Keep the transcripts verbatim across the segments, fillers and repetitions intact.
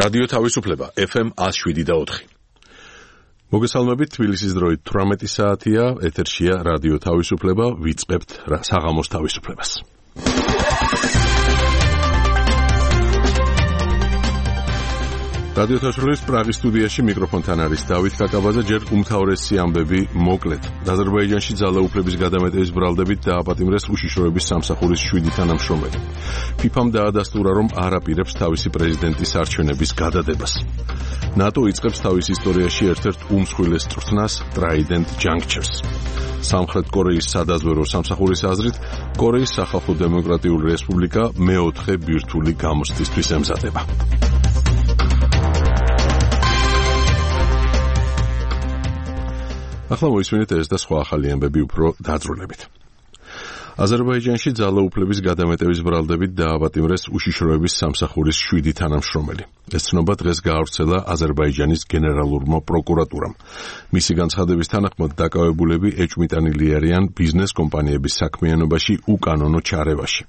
რადიო თავისუფლება ეფ ემ one oh seven და four. მოგესალმებით, თბილისის დროით თვრამეტი საათია, ეთერშია რადიო თავისუფლება, ვიწყებთ საღამოს თავისუფლებას. რადიო თავისუფლების პრაღის სტუდიაში მიკროფონთან არის დავით კაკაბაძე, ჯერ უმთავრესი ამბები მოკლედ. აზერბაიჯანში ძალაუფლების გადამეტების ბრალდებით დააპატიმრეს უშიშროების სამსახურის შვიდი თანამშრომელი. ფიფამ დაადასტურა, რომ არ აპირებს თავისი პრეზიდენტის არჩევნების გადადებას. ნატო იწყებს თავის ისტორიაში ერთ-ერთ უმსხვილეს წვრთნას Trident Junctures. სამხრეთ კორეის სადაზვერვო სამსახურის აზრით, კორეის სახალხო დემოკრატიული რესპუბლიკა მეოთხე ბირთვული გამოცდისთვის ემზადება. ახლა მოისმინეთ ეს და სხვა ახალი ამბები უფრო დაძრულებით. აზერბაიჯანში ძალაუფლების გადამეტების ბრალდებით დააპატიმრეს უშიშროების სამსახურის შვიდი თანამშრომელი. ეს ცნობა დღეს გაავრცელა აზერბაიჯანის გენერალურმა პროკურატურამ. მისი განცხადების თანახმად დაკავებულები ეჭვმიტანილი არიან ბიზნეს კომპანიების საქმიანობაში უკანონო ჩარევაში.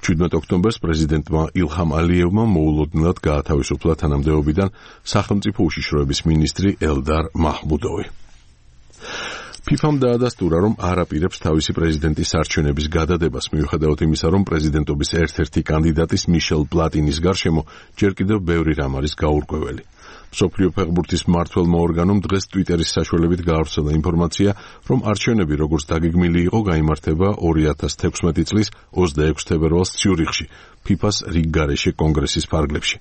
შვიდმეტ ოქტომბერს პრეზიდენტმა ილჰამ ალიევმა მოულოდნელად გაათავისუფლა თანამდებობიდან სახელმწიფო უშიშროების მინისტრი ელდარ მაჰმუდოვი. ფიფამ დაადასტურა, რომ არ აპირებს თავისი პრეზიდენტის არჩევნების გადადებას, მიუხედავად იმისა, რომ პრეზიდენტობის ერთ-ერთი კანდიდატის მიშელ პლატინის გარშემო ჯერ კიდევ ბევრი რამ არის გაურკვეველი. მსოფლიო ფეხბურთის მმართველმა ორგანომ დღეს ტვიტერის საშუალებით გაავრცელა ინფორმაცია, რომ არჩევნები, როგორც დაგეგმილი იყო, გაიმართება ორი ათას თექვსმეტი წლის ოცდაექვსი თებერვალს ციურიხში, ფიფას რიგგარეშე კონგრესის ფარგლებში.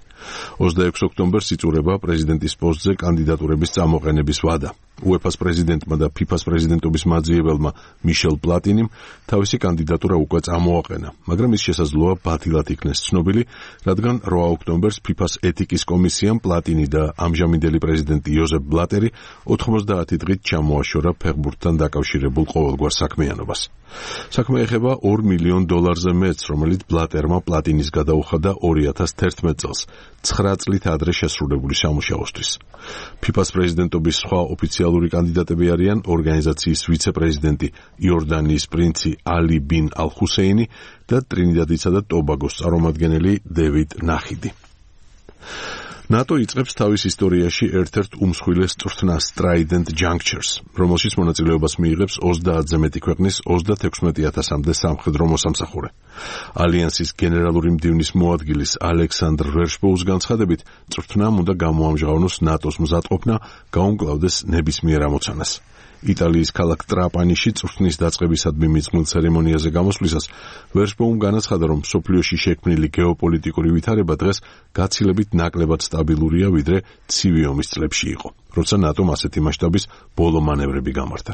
ოცდაექვსი ოქტომბერს იწურება პრეზიდენტის პოსტზე კანდიდატურების წამოყენების ვადა. უეფას პრეზიდენტმა და ფიფას პრეზიდენტობის მაძიებელმა მიშელ პლატინიმ თავისი კანდიდატურა უკვე წამოაყენა, მაგრამ ის შესაძლოა ბათილად იქნეს ცნობილი, რადგან რვა ოქტომბერს ფიფას ეთიკის კომისიამ პლატინი და ამჟამინდელი პრეზიდენტი იოზეფ ბლატერი ოთხმოცდაათი დღით ჩამოაშორა ფეხბურთთან დაკავშირებულ ყოველგვარ საქმიანობას. საქმე ეხება ორ მილიონ დოლარზე მეტს, რომელიც ბლატერმა პლატინის გადაუხადა ორი ათას თერთმეტ წელს, ცხრა წლით ადრე შესრულებული სამუშაოსთვის. ფიფას პრეზიდენტობის სხვა ოფიციალური კანდიდატები არიან ორგანიზაციის ვიცე-პრეზიდენტი იორდანიის პრინცი ალი ბინ ალ-ჰუსეინი და ტრინიდადისა და ტობაგოს წარმომადგენელი დევიდ ნახიდი. ნატო იწყებს თავის ისტორიაში ერთ-ერთ უმსხვილეს წვრთნას Trident Junctures, რომელშიც მონაწილეობას მიიღებს ოცდაათზე მეტი ქვეყნის ოცდათექვსმეტი ათასამდე სამხედრო მოსამსახურე. ალიანსის გენერალური მდივნის მოადგილის ალექსანდრ ვერშბოუს განცხადებით, წვრთნამ უნდა გამოამჟღავნოს ნატოს მზადყოფნა, გაუმკლავდეს ნებისმიერ ამოცანას. იტალიის ქალაქ ტრაპანიში წვრთნის დაწყებისადმი მიძღვნილ ცერემონიაზე გამოსვლისას ვერშბოუმ განაცხადა, რომ მსოფლიოში შექმნილი გეოპოლიტიკური ვითარება დღეს გაცილებით ნაკლებად სტაბილურია, ვიდრე ცივი ომის წლებში იყო, როცა ნატომ ასეთი მასშტაბის ბოლო მანევრები გამართა.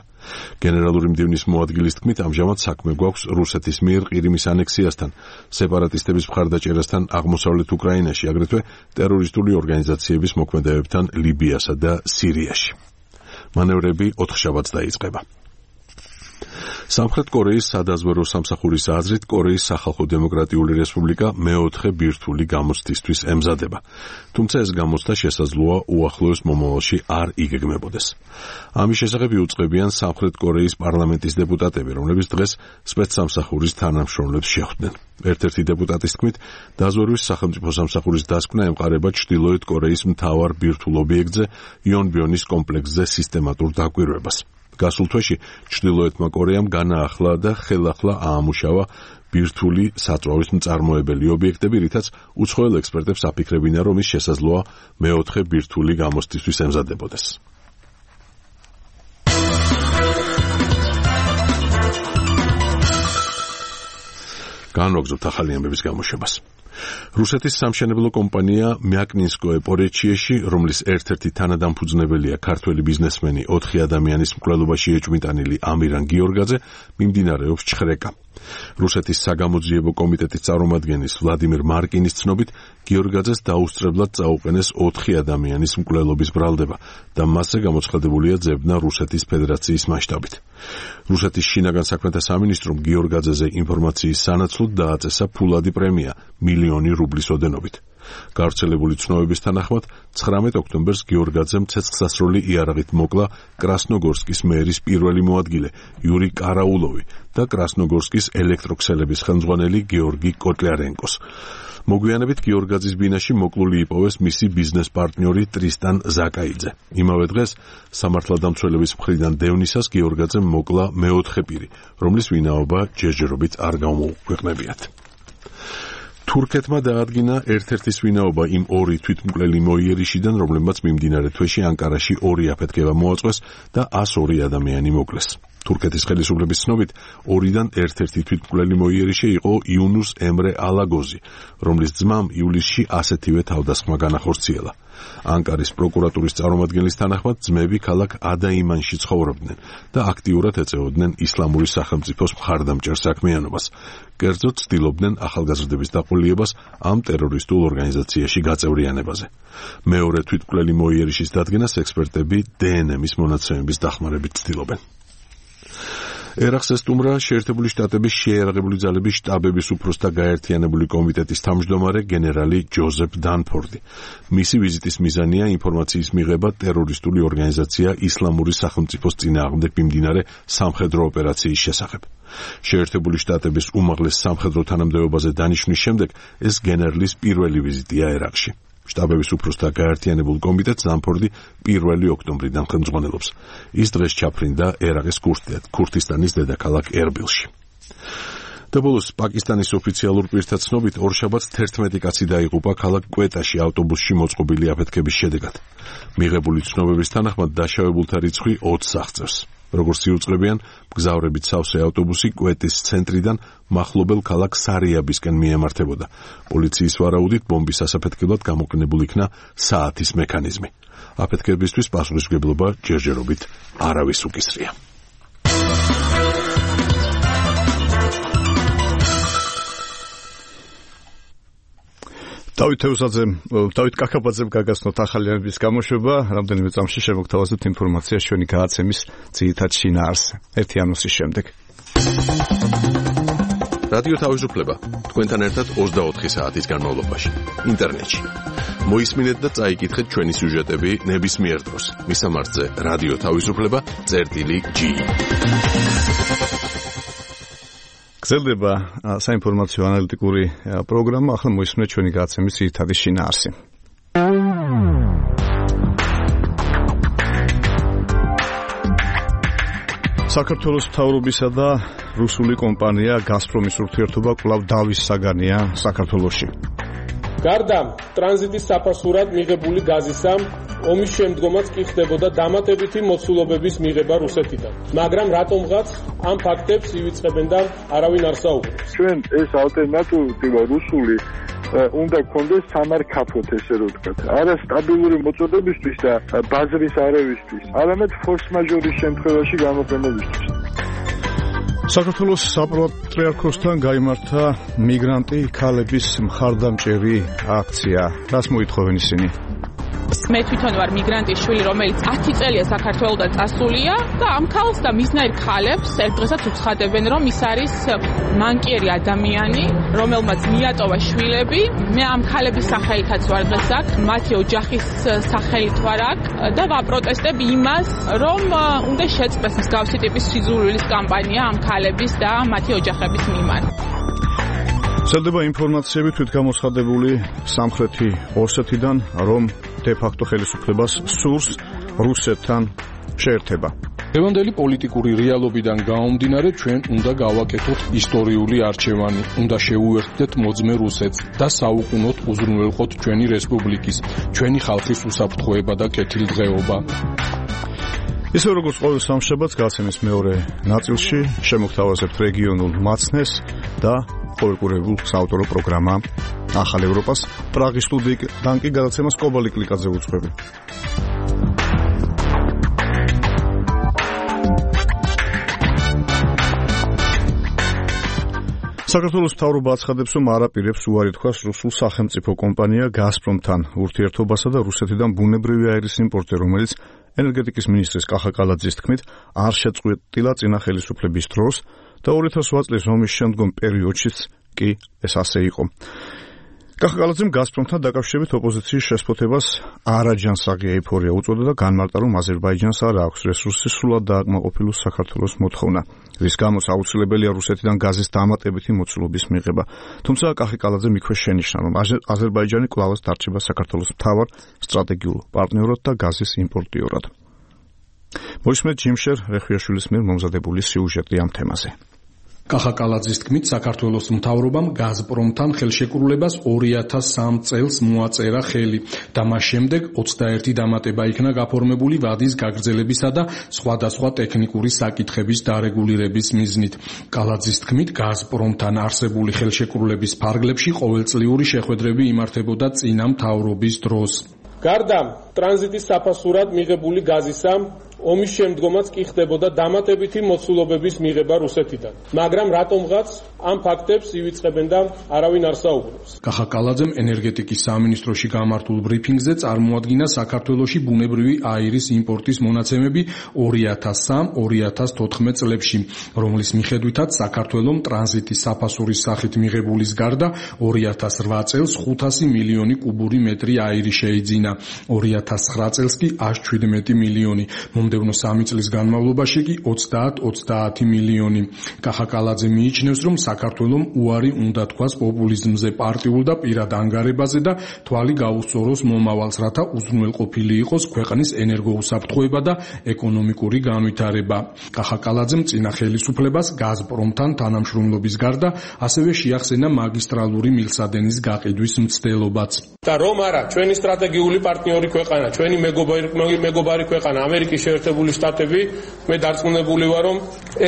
გენერალური მდივნის მოადგილის თქმით, ამჟამად საქმე გვაქვს რუსეთის მიერ ყირიმის ანექსიასთან, სეპარატისტების მხარდაჭერასთან აღმოსავლეთ უკრაინაში, აგრეთვე ტერორისტული ორგანიზაციების მოქმედებებთან ლიბიასა და სირიაში. მანევრები ოთხშაბათს დაიწყება. სამხრეთ კორეის სადაზვერვო სამსახურის აზრით, კორეის სახალხო დემოკრატიული რესპუბლიკა მეოთხე ბირთვული გამოცდისთვის ემზადება. თუმცა ეს გამოცდა შესაძლოა უახლოეს მომავალში არ იგეგმებოდეს. ამის შესახებ იუწყებიან სამხრეთ კორეის პარლამენტის დეპუტატები, რომლებიც დღეს სპეცსამსახურის თანამშრომლებს შეხვდნენ. ერთ-ერთი დეპუტატის თქმით, დაზვერვის სახელმწიფო სამსახურის დასკვნა ემყარება ჩრდილოეთ კორეის მთავარ ბირთვულ ობიექტზე, იონბიონის კომპლექსზე სისტემატურ დაკვირვებას. გასულ თვეში ჩრდილოეთმა კორეამ განაახლა და ხელახლა აამუშავა ბირთვული საწვავის მწარმოებელი ობიექტები, რითაც უცხოელ ექსპერტებს აფიქრებინა, რომ ის შესაძლოა მეოთხე ბირთვული გამოცდისთვის ემზადებოდეს. განვაგრძობთ ახალი ამბების გამოშვებას. რუსეთის სამშენებლო კომპანია მიაკნინსკოე პორეჩიეში, რომლის ერთ-ერთი თანადამფუძნებელია ქართველი ბიზნესმენი ოთხი ადამიანის მკვლელობაში ეჭვმიტანილი ამირან გიორგაძე, მიმდინარეობს ჩხრეკა. რუსეთის საგამოძიებო კომიტეტის წარმომადგენლის ვლადიმერ მარკინის ცნობით, გიორგაძეს დაუსწრებლად წაუყენეს ოთხი ადამიანის მკვლელობის ბრალდება და მასზე გამოცხადებულია ძებნა რუსეთის ფედერაციის მასშტაბით. რუსეთის შინაგან საქმეთა სამინისტრომ გიორგაძეზე ინფორმაციის სანაცვლოდ დააწესა ფულადი პრემია მილიონი რუბლის ოდენობით. გავრცელებული ცნობების თანახმად ცხრამეტ ოქტომბერს გიორგაძემ ცეცხლსასროლი იარაღით მოკლა კრასნოგორსკის მერის პირველი მოადგილე იური კარაულოვი და კრასნოგორსკის ელექტროქსელების ხელმძღვანელი გეორგი კოტლიარენკოს. მოგვიანებით გიორგაძის ბინაში მოკლული იპოვეს მისი ბიზნეს პარტნიორი ტრისტან ზაკაიძე. იმავე დღეს სამართალდამცველების მხრიდან დევნისას გიორგაძემ მოკლა მეოთხე პირი, რომლის ვინაობა ჯერჯერობით არ გამოუქვეყნებიათ. თურქეთმა დაადგინა ერთ-ერთის ვინაობა იმ ორი თვითმკვლელი მოიერიშიდან, რომლებმაც მიმდინარე თვეში ანკარაში ორი აფეთქება მოაწყვეს და ას ორი ადამიანი მოკლეს. თურქეთის ხელისუფლების ცნობით, ორიდან ერთ-ერთი თვითმკვლელი მოიერიშე იყო იუნუს ემრე ალაგოზი, რომლის ძმამ ივლისში ასეთივე თავდასხმა განახორციელა. ანკარის პროკურატურის წარმომადგენლის თანახმად, ძმები ქალაქ ადაიმანში ცხოვრობდნენ და აქტიურად ეწეოდნენ ისლამური სახელმწიფოს მხარდამჭერ საქმიანობას. კერძოდ ცდილობდნენ ახალგაზრდების დაყოლიებას ამ ტერორისტულ ორგანიზაციაში გაწევრიანებაზე. მეორე თვითმკვლელი მოიერიშის დადგენას ექსპერტები დე ენ ემის მონაცემების დახმარებით ცდილობენ. ერახს ესტუმრა შეერთებული შტატების შეიარაღებული ძალების შტაბების უფროსთა გაერთიანებული კომიტეტის თავმჯდომარე გენერალი ჯოზეფ დანფორდი. მისი ვიზიტის მიზანია ინფორმაციის მიღება ტერორისტული ორგანიზაცია ისლამური სახელმწიფოს წინააღმდეგ მიმდინარე სამხედრო ოპერაციის შესახებ. შეერთებული შტატების უმაღლეს სამხედრო თანამდებობაზე დანიშვნის შემდეგ ეს გენერლის პირველი ვიზიტია ერაყში. შტაბების უფროსთა გაერთიანებულ კომიტეტს დანფორდი პირველი ოქტომბრიდან ხელმძღვანელობს. ის დღეს ჩაფრინდა ერაყის ქურთისტანის დედაქალაქ ერბილში. და ბოლოს პაკისტანის ოფიციალურ პირთა ცნობით ორშაბათს თერთმეტი კაცი დაიღუპა ქალაქ კვეტაში ავტობუსში მოწყობილი აფეთქების შედეგად. მიღებული ცნობების თანახმად დაშავებულთა რიცხვი ოცს აღწევს. როგორც იუწყებიან, მგზავრებით სავსე ავტობუსი კვეტის ცენტრიდან მახლობელ ქალაქ სარიაბისკენ მიემართებოდა. პოლიციის ვარაუდით ბომბის ასაფეთქებლად გამოყენებული იქნა საათის მექანიზმი. აფეთქებისთვის პასუხისმგებლობა ჯერჯერობით არავის უკისრია. დავით თეუსაძე, დავით კაკაბაძემ გაგაცნოთ ახალიანების გამოშვება, რამდენიმე წამში შემოგთავაზებთ ინფორმაციას ჩვენი გადაცემის ძირითად შინაარსზე. ერთი ანონსის შემდეგ. რადიო თავისუფლება თქვენთან ერთად ოცდაოთხი საათის განმავლობაში ინტერნეტში. მოისმინეთ და წაიკითხეთ ჩვენი სიუჟეტები ნებისმიერ დროს. მისამართზე რადიო თავისუფლება წერტილი ჯი. გრძელდება საინფორმაციო ანალიტიკური პროგრამა, ახლა მოისმინეთ ჩვენი გადაცემის ძირითადი შინაარსი. საქართველოს მთავრობისა და რუსული კომპანია გაზპრომის ურთიერთობა კვლავ დავის საგანია საქართველოში. გარდა ტრანზიტის საფასურად მიღებული გაზისა, ომის შემდგომაც კი ხდებოდა დამატებითი მოცულობების მიღება რუსეთიდან. მაგრამ რატომღაც ამ ფაქტებს ივიწყებენ და არავინ არ საუბრობს. ჩვენ ეს ალტერნატივა რუსული უნდა გქონდეს სამარკაფოდ, ესე რომ ვთქვათ. არა სტაბილური მოწოდებისთვის და ბაზრის არევისთვის, არამედ ფორს მაჟორის შემთხვევაში გამოყენებისთვის. საქართველოს საპატრიარქოსთან გაიმართა მიგრანტი ქალების მხარდამჭერი აქცია. რას მოითხოვენ ისინი? მე თვითონ ვარ მიგრანტის შვილი, რომელიც ათი წელია საქართველოდან წასულია და ამ ქალს და მისნაირ ქალებს ერთ დღესაც უცხადებენ, რომ ის არის მანკიერი ადამიანი, რომელმაც მიატოვა შვილები. მე ამ ქალების სახელითაც ვარ დღეს აქ, მათი ოჯახის სახელით ვარ აქ და ვაპროტესტებ იმას, რომ უნდა შეწყდეს მსგავსი ტიპის სიძულვილის კამპანია ამ ქალების და მათი ოჯახების მიმართ. ვრცელდება ინფორმაციები თვითგამოცხადებული სამხრეთი ოსეთიდან, რომ დე-ფაქტო ხელისუფლებას სურს რუსეთთან შეერთება. დღევანდელი პოლიტიკური რეალობიდან გამომდინარე, ჩვენ უნდა გავაკეთოთ ისტორიული არჩევანი, უნდა შეუერთდეთ მოძმე რუსეთს და საუკუნოდ უზრუნველყოთ ჩვენი რესპუბლიკის, ჩვენი ხალხის უსაფრთხოება და კეთილდღეობა. ისე როგორც ყოველ სამშაბათს გადაცემის მეორე ნაწილში შემოგთავაზებთ რეგიონულ მაცნეს და ყოველკვირეულ საავტორო პროგრამა ახალ ევროპას. პრაღის სტუდიიდან კი გადაცემას კობალი კლიკაძე უძღვები. საქართველოს მთავრობა აცხადებს, რომ არ აპირებს უარი თქვას რუსულ სახელმწიფო კომპანია გაზპრომთან ურთიერთობასა და რუსეთიდან ბუნებრივი აირის იმპორტზე, რომელიც ენერგეტიკის მინისტრის კახა კალაძის თქმით არ შეწყვეტილა წინა ხელისუფლების დროს და ორი ათას ოთხ წლის ომის შემდგომ პერიოდშიც კი ეს ასე იყო. კახაკალაძემ გაზპრომთან დაკავშირებით ოპოზიციის შესფოთებას არაჯანსაღი ეიფორია უწოდა და განმარტა, რომ აზერბაიჯანს არ აქვს რესურსი სრულად დააკმაყოფილოს საქართველოს მოთხოვნა, რის გამოც აუცილებელია რუსეთიდან გაზის დამატებითი მოცულობის მიღება. თუმცა კახაკალაძემ იქვე შენიშნა, რომ აზერბაიჯანი კვლავაც დარჩება საქართველოს მთავარ სტრატეგიულ პარტნიორად და გაზის იმპორტიორად. მოისმენთ ჯიმშერ რეხვიაშვილის მიერ მომზადებული სიუჟეტი ამ თემაზე. კახაკალაძის თქმით, საქართველოს მთავრობამ გაზპრომთან ხელშეკრულებას ორი ათას სამ წელს მოაწერა ხელი და მას შემდეგ ოცდაერთი დამატება იქნა გაფორმებული ვადის გაგრძელებისა და სხვადასხვა ტექნიკური საკითხების დარეგულირების მიზნით. კალაძის თქმით, გაზპრომთან არსებული ხელშეკრულების ფარგლებში ყოველწლიური შეხვედრები იმართებოდა წინა მთავრობის დროს. გარდა ტრანზიტის საფასურად მიღებული გაზისა, ომის შემდგომაც კი ხდებოდა დამატებითი მოცულობების მიღება რუსეთიდან. მაგრამ რატომღაც ამ ფაქტებს ივიწყებენ და არავინ არ საუბრობს. კახაკალაძემ ენერგეტიკის სამინისტროში გამართულ ბრიფინგზე წარმოადგინა საქართველოში ბუნებრივი აირის იმპორტის მონაცემები ორი ათას სამ ორი ათას თოთხმეტ წლებში, რომლის მიხედვითაც საქართველომ ტრანზიტის საფასურის სახით მიღებულის გარდა ორი ათას რვა წელს ხუთასი მილიონი კუბური მეტრი აირი შეიძინა, ორი ათას ცხრა წელს კი ას შვიდმეტი მილიონი. მომდევნო სამი წლის განმავლობაში კი ოცდაათ ოცდაათი მილიონი. კახაკალაძე მიიჩნევს, რომ საქართველომ უარი უნდა თქვას პოპულიზმზე, პარტიულ და პირად ანგარებაზე და თვალი გაუსწოროს მომავალს, რათა უზრუნველყოფილი იყოს ქვეყნის ენერგოუსაფრთხოება და ეკონომიკური განვითარება. კახაკალაძემ წინა ხელისუფლებას გაზპრომთან თანამშრომლობის გარდა ასევე შეახსენა მაგისტრალური მილსადენის გაყიდვის მცდელობაც. და რომ არა, ჩვენი სტრატეგიული პარტნიორი ქვეყანა, ჩვენი მეგობარი მეგობარი ქვეყანა ამერიკის შეერთებული შტატები, მე დარწმუნებული ვარ, რომ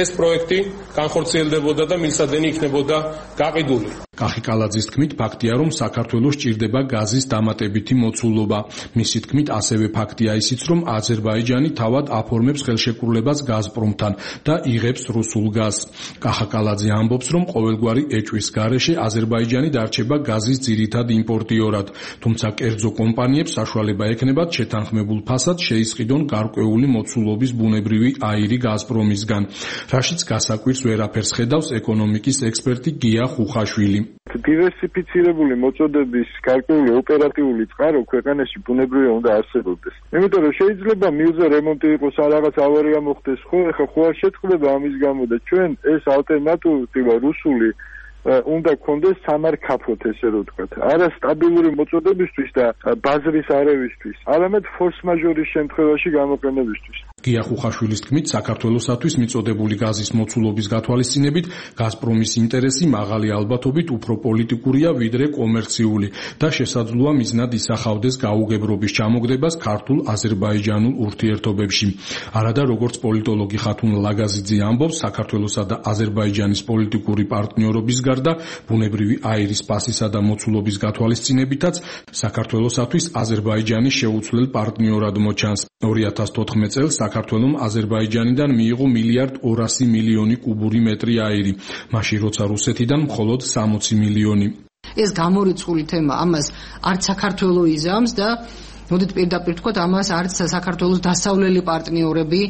ეს პროექტი განხორციელდებოდა და მილსადენი იქნებოდა გაყიდული. კახიკალაძის თქმით, ფაქტია, რომ საქართველოს ჭირდება გაზის დამატებითი მოცულობა. მისი თქმით, ასევე ფაქტია ისიც, რომ აზერბაიჯანი თავად აფორმებს ხელშეკრულებას გაზპრომთან და იღებს რუსულ გაზს. კახაკალაძე ამბობს, რომ ყოველგვარი ეჭვის გარეშე აზერბაიჯანი დარჩება გაზის ძირითად იმპორტიორად, თუმცა კერძო კომპანიებს საშუალება ექნებათ შეთანხმებულ ფასად შეისყიდონ გარკვეული მოცულობის ბუნებრივი აირი გაზპრომისგან, რაშიც გასაკვირს ვერაფერს ხედავს ეკონომიკის ექსპერტი გია ხუხაშვილი. დივერსიფიცირებული მოწოდების გარკვეული ოპერატიული წყარო ქვეყანაში ბუნებრივია უნდა არსებობდეს. იმიტომ რომ შეიძლება მილზე რემონტი იყოს, რაღაც ავარია მოხდეს, ხო, ეხლა ხო არ შეწყდება ამის გამო და ჩვენ ეს ალტერნატივა რუსული უნდა გქონდეს სამარკაფოდ, ესე რომ ვთქვათ. არა სტაბილური მოწოდებისთვის და ბაზრის არევისთვის, არამედ ფორს-მაჟორის შემთხვევაში გამოყენებისთვის. გია ხუხაშვილის თქმით, საქართველოსათვის მიწოდებული გაზის მოცულობის გათვალისწინებით გაზპრომის ინტერესი მაღალი ალბათობით უფრო პოლიტიკურია ვიდრე კომერციული და შესაძლოა მიზნად ისახავდეს გაუგებრობის ჩამოგდებას ქართულ-აზერბაიჯანულ ურთიერთობებში. არადა როგორც პოლიტოლოგი ხათუნ ლაგაზიძე ამბობს, საქართველოსა და აზერბაიჯანის პოლიტიკური პარტნიორობის გარდა ბუნებრივი აირის პასისა და მოცულობის გათვალისწინებითაც საქართველოსათვის აზერბაიჯანი შეუცვლელ პარტნიორად მოჩანს. ორი ათას თოთხმეტ წელს საქართველომ აზერბაიჯანიდან მიიღო მილიარდ ორასი მილიონი კუბური მეტრი აირი, მაშინ როცა რუსეთიდან მხოლოდ სამოცი მილიონი. ეს გამორიცხული თემა ამას არც საქართველო იზამს და მოდით პირდაპირ თქვათ, ამას არც საქართველოს დასავლელი პარტნიორები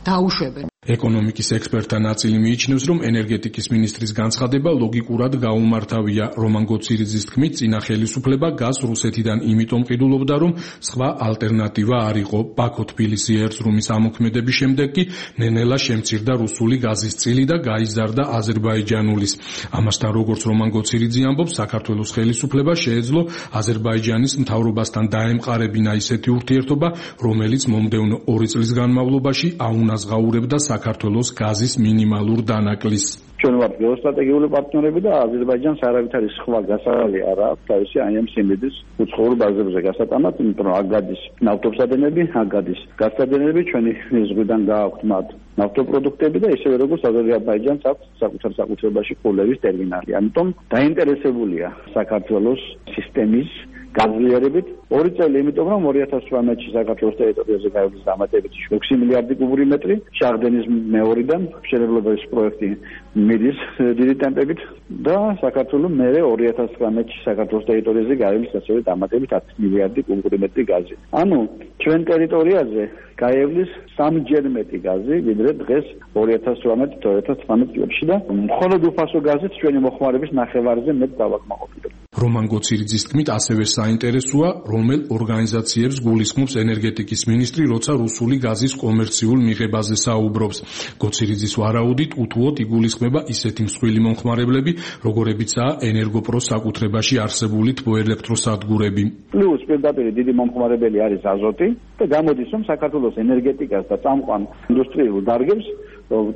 დაუშვებენ. ეკონომიკის ექსპერტთა ნაწილი მიიჩნევს, რომ ენერგეტიკის მინისტრის განცხადება ლოგიკურად გაუმართავია. რომან გოცირიძის თქმით, წინა ხელისუფლება გაზს რუსეთიდან იმიტომ ყიდულობდა, რომ სხვა ალტერნატივა არ იყო. ბაქო-თბილისი ერწრუმის ამოქმედების შემდეგ კი ნენელა შემცირდა რუსული გაზის წილი და გაიზარდა აზერბაიჯანულის. ამასთან, როგორც რომან გოცირიძე ამბობს, საქართველოს ხელისუფლება შეეძლო აზერბაიჯანის მთავრობასთან დაემყარებინა ისეთი ურთიერთობა, რომელიც მომდევნო ორი წლის განმავლობაში აუნაზღაურებდა საქართველოს გაზის მინიმალურ დანაკლისს. ჩვენ ვართ გეოსტრატეგიული პარტნიორები და აზერბაიჯანს არავითარი სხვა გასავალი არ აქვს თავისი აი ამ სიმდიდრის უცხოურ ბაზებზე გასატანად, იმიტომ რომ აქ გადის ნავთობსადენები, აქ გადის გაზსადენები, ჩვენი ზღვიდან გააქვთ მათ ნავთობპროდუქტები და ისევე როგორც აზერბაიჯანს აქვს საკუთარ საკუთრებაში კულევის ტერმინალი. ამიტომ დაინტერესებულია საქართველოს სისტემის გაზლიერებით ორი წელი, იმიტომ რომ ორი ათას თვრამეტში საქართველოს ტერიტორიაზე გაივლის დამატებით ექვსი მილიარდი კუბური მეტრი, შახდენის მეორიდან მშენებლობის პროექტი მიდის დიდი ტემპებით და საქართველოს მერე ორი ათას ცხრამეტში საქართველოს ტერიტორიაზე გაივლის ასევე დამატებით ათი მილიარდი კუბური მეტრი გაზი. ანუ ჩვენ ტერიტორიაზე გაივლის სამჯერ მეტი გაზი, ვიდრე დღეს ორი ათას თვრამეტ ორი ათას ცხრამეტ წლებში და მხოლოდ უფასო გაზით ჩვენი მოხმარების ნახევარზე მეტ დავაკმაყოფილებთ. რომან გოცირიძის თქმით, ასევე საინტერესოა, რომელ ორგანიზაციებს გულისხმობს ენერგეტიკის მინისტრი, როცა რუსული გაზის კომერციულ მიღებაზე საუბრობს. გოცირიძის ვარაუდით, უთუოდ იგულისხმება ისეთი მსხვილი მომხმარებლები, როგორებიცაა ენერგოპროს საკუთრებაში არსებული თბოელექტროსადგურები. პლუს პირდაპირ დიდი მომხმარებელი არის აზოტი და გამოდის, რომ საქართველოს ენერგეტიკას და წამყვან ინდუსტრიულ დარგებს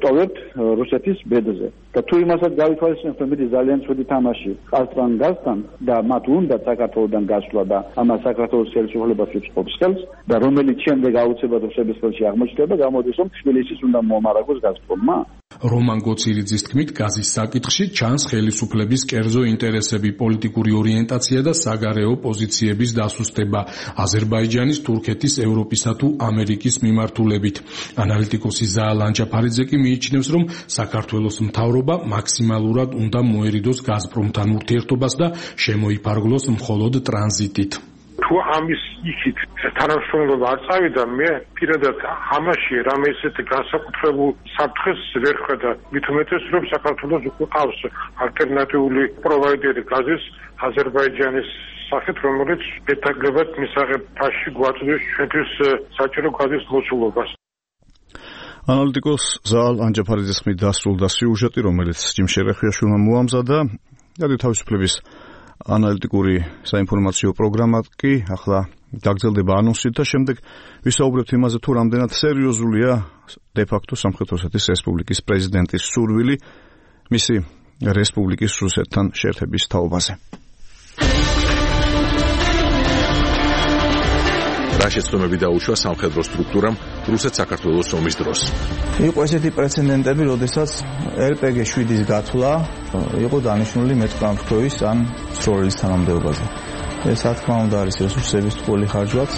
ტოვებთ რუსეთის ბედზე. და თუ იმასაც გავითვალისწინებთ, რომ მიდის ძალიან ცუდი თამაში ყაზტრან გაზთან და მათ უნდა საქართველოსთან გასვლა და ამას საქართველოს ხელისუფლებას უწყობს ხელს და რომელიც შემდეგ აუცილებლად რუსების ხელში აღმოჩნდება, გამოდის, რომ თბილისის უნდა მომარაგოს გაზპრომმა. რომან გოცირიძის თქმით, გაზის საკითხში ჩანს ხელისუფლების კერძო ინტერესები, პოლიტიკური ორიენტაცია და საგარეო პოზიციების დასუსტება აზერბაიჯანის, თურქეთის, ევროპისა თუ ამერიკის მიმართულებით. ანალიტიკოსი ზაალ ანჯაფარიძე კი მიიჩნევს, რომ საქართველოს მთავრობა მაქსიმალურად უნდა მოერიდოს გაზპრომთან ურთიერთობას და შემოიფარგლოს მხოლოდ ტრანზიტით. თუ ამის იქით თანამშრომლობა არ წავიდა, მე პირადად ამაში რამე ისეთი განსაკუთრებულ საფრთხეს ვერ ხედავ. მით უმეტეს, რომ საქართველოს უკვე ყავს ალტერნატიული პროვაიდერი გაზის აზერბაიჯანის სახით, რომელიც მეტაგლებად მისაღებ ფასში გვაწვდის ჩვენთვის საჭირო გაზის მოცულობას. ანალიტიკოს ზაალ ანჯაფარიძის ხმით დასრულდა სიუჟეტი, რომელიც ჯიმ შერეხიაშვილმა მოამზადა. გადი თავისუფლების ანალიტიკური საინფორმაციო პროგრამა კი ახლა გაგრძელდება ანონსით და შემდეგ ვისაუბრებთ იმაზე, თუ რამდენად სერიოზულია დე-ფაქტო სამხრეთ ოსეთის რესპუბლიკის პრეზიდენტის სურვილი მისი რესპუბლიკის რუსეთთან შეერთების თაობაზე. რა შეცდომები დაუშვა სამხედრო სტრუქტურამ რუსეთ-საქართველოს ომის დროს. იყო ესეთი პრეცედენტები, როდესაც ელ პე გი შვიდის გათვლა იყო დანიშნული მეტყამფრთოვის ან სროლის თანამდებობაზე. ეს რა თქმა უნდა არის რესურსების ტყუილი ხარჯვაც.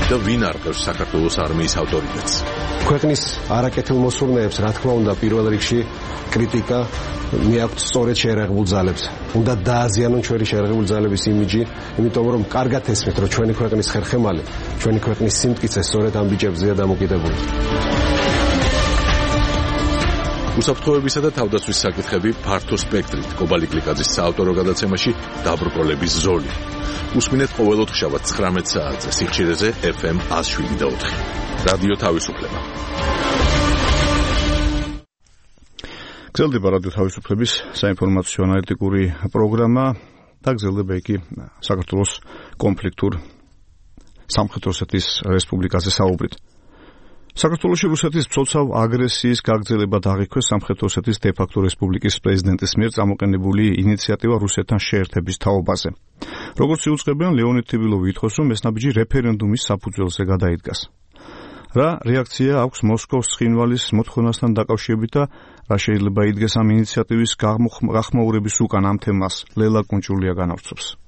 და ვინ არყევს საქართველოს არმიის ავტორიტეტს? ქვეყნის არაკეთილ მოსურნეებს, რა თქმა უნდა, პირველ რიგში კრიტიკა მიაქვთ სწორედ შეერაღებულ ძალებს. უნდა დააზიანონ ჩვენი შეერაღებული ძალების იმიჯი, იმიტომ რომ კარგად ესმით, რომ ჩვენი ქვეყნის ხერხემალი, ჩვენი ქვეყნის სიმტკიცე სწორედ ამ ბიჭებზეა დამოკიდებული. უსაფრთხოებისა და თავდაცვის საკითხები ფართო სპექტრით კობალი კლიკაძის საავტორო გადაცემაში დაბრკოლების ზოლი. უსმინეთ ყოველ ოთხშაბათ ცხრამეტ საათზე სიხშირეზე ეფ ემ ათს შვიდი და ოთხი. რადიო თავისუფლება. გრძელდება რადიო თავისუფლების საინფორმაციო ანალიტიკური პროგრამა და გრძელდება იგი საქართველოს კონფლიქტურ სამხრეთ ოსეთის რესპუბლიკაზე საუბრით. საქართველოში რუსეთის მცოცავ აგრესიის გაგრძელება დაღიქვეს სამხრეთ ოსეთის დე-ფაქტო რესპუბლიკის პრეზიდენტის მიერ წამოყენებული ინიციატივა რუსეთთან შეერთების თაობაზე. როგორც იუწყებენ, ლეონიდ თიბილოვი ითხოვს, რომ ეს ნაბიჯი რეფერენდუმის საფუძველზე გადაიდგას. რა რეაქცია აქვს მოსკოვის ცხინვალის მოთხოვნასთან დაკავშირებით და რა შეიძლება იდგეს ამ ინიციატივის გახმაურების უკან ამ თემას ლელა კუნჭულია განავრცობს.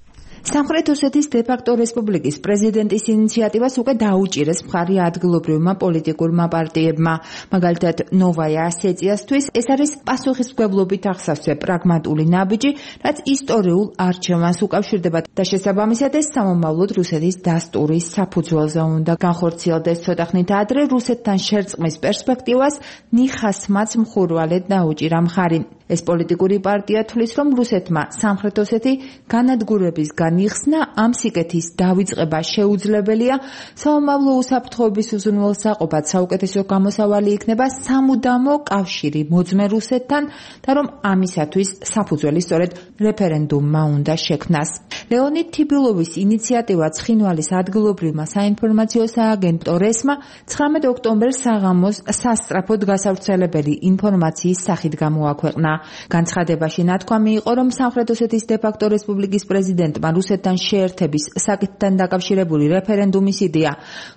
სამხრეთ ოსეთის დე-ფაქტო რესპუბლიკის პრეზიდენტის ინიციატივას უკვე დაუჭირეს მხარი ადგილობრივმა პოლიტიკურმა პარტიებმა. მაგალითად, ნოვაია ასეციასთვის ეს არის პასუხისმგებლობით აღსავსე პრაგმატული ნაბიჯი, რაც ისტორიულ არჩევანს უკავშირდება და შესაბამისად ეს სამომავლოდ რუსეთის დასტურის საფუძველზე უნდა განხორციელდეს. ცოტა ხნით ადრე რუსეთთან შერწყმის პერსპექტივას ნიხასმაც მხურვალედ დაუჭირა მხარი. ეს პოლიტიკური პარტია თვლის, რომ რუსეთმა სამხრეთ ოსეთი განადგურებისგან იხსნა, ამ სიკეთის დავიწყება შეუძლებელია, სამომავლო უსაფრთხოების უზრუნველსაყოფად საუკეთესო გამოსავალი იქნება სამუდამო კავშირი მოძმე რუსეთთან და რომ ამისათვის საფუძველი სწორედ რეფერენდუმმა უნდა შექმნას. ლეონიდ თიბილოვის ინიციატივა ცხინვალის ადგილობრივმა საინფორმაციო სააგენტო რესმა ცხრამეტ ოქტომბერს საღამოს სასწრაფოდ გასავრცელებელი ინფორმაციის სახით გამოაქვეყნა. განცხადებაში ნათქვამი იყო, რომ სამხრეთ ოსეთის დე-ფაქტო რესპუბლიკის პრეზიდენტმა რუსეთთან შეერთების საკითხთან დაკავშირებული რეფერენდუმის იდეა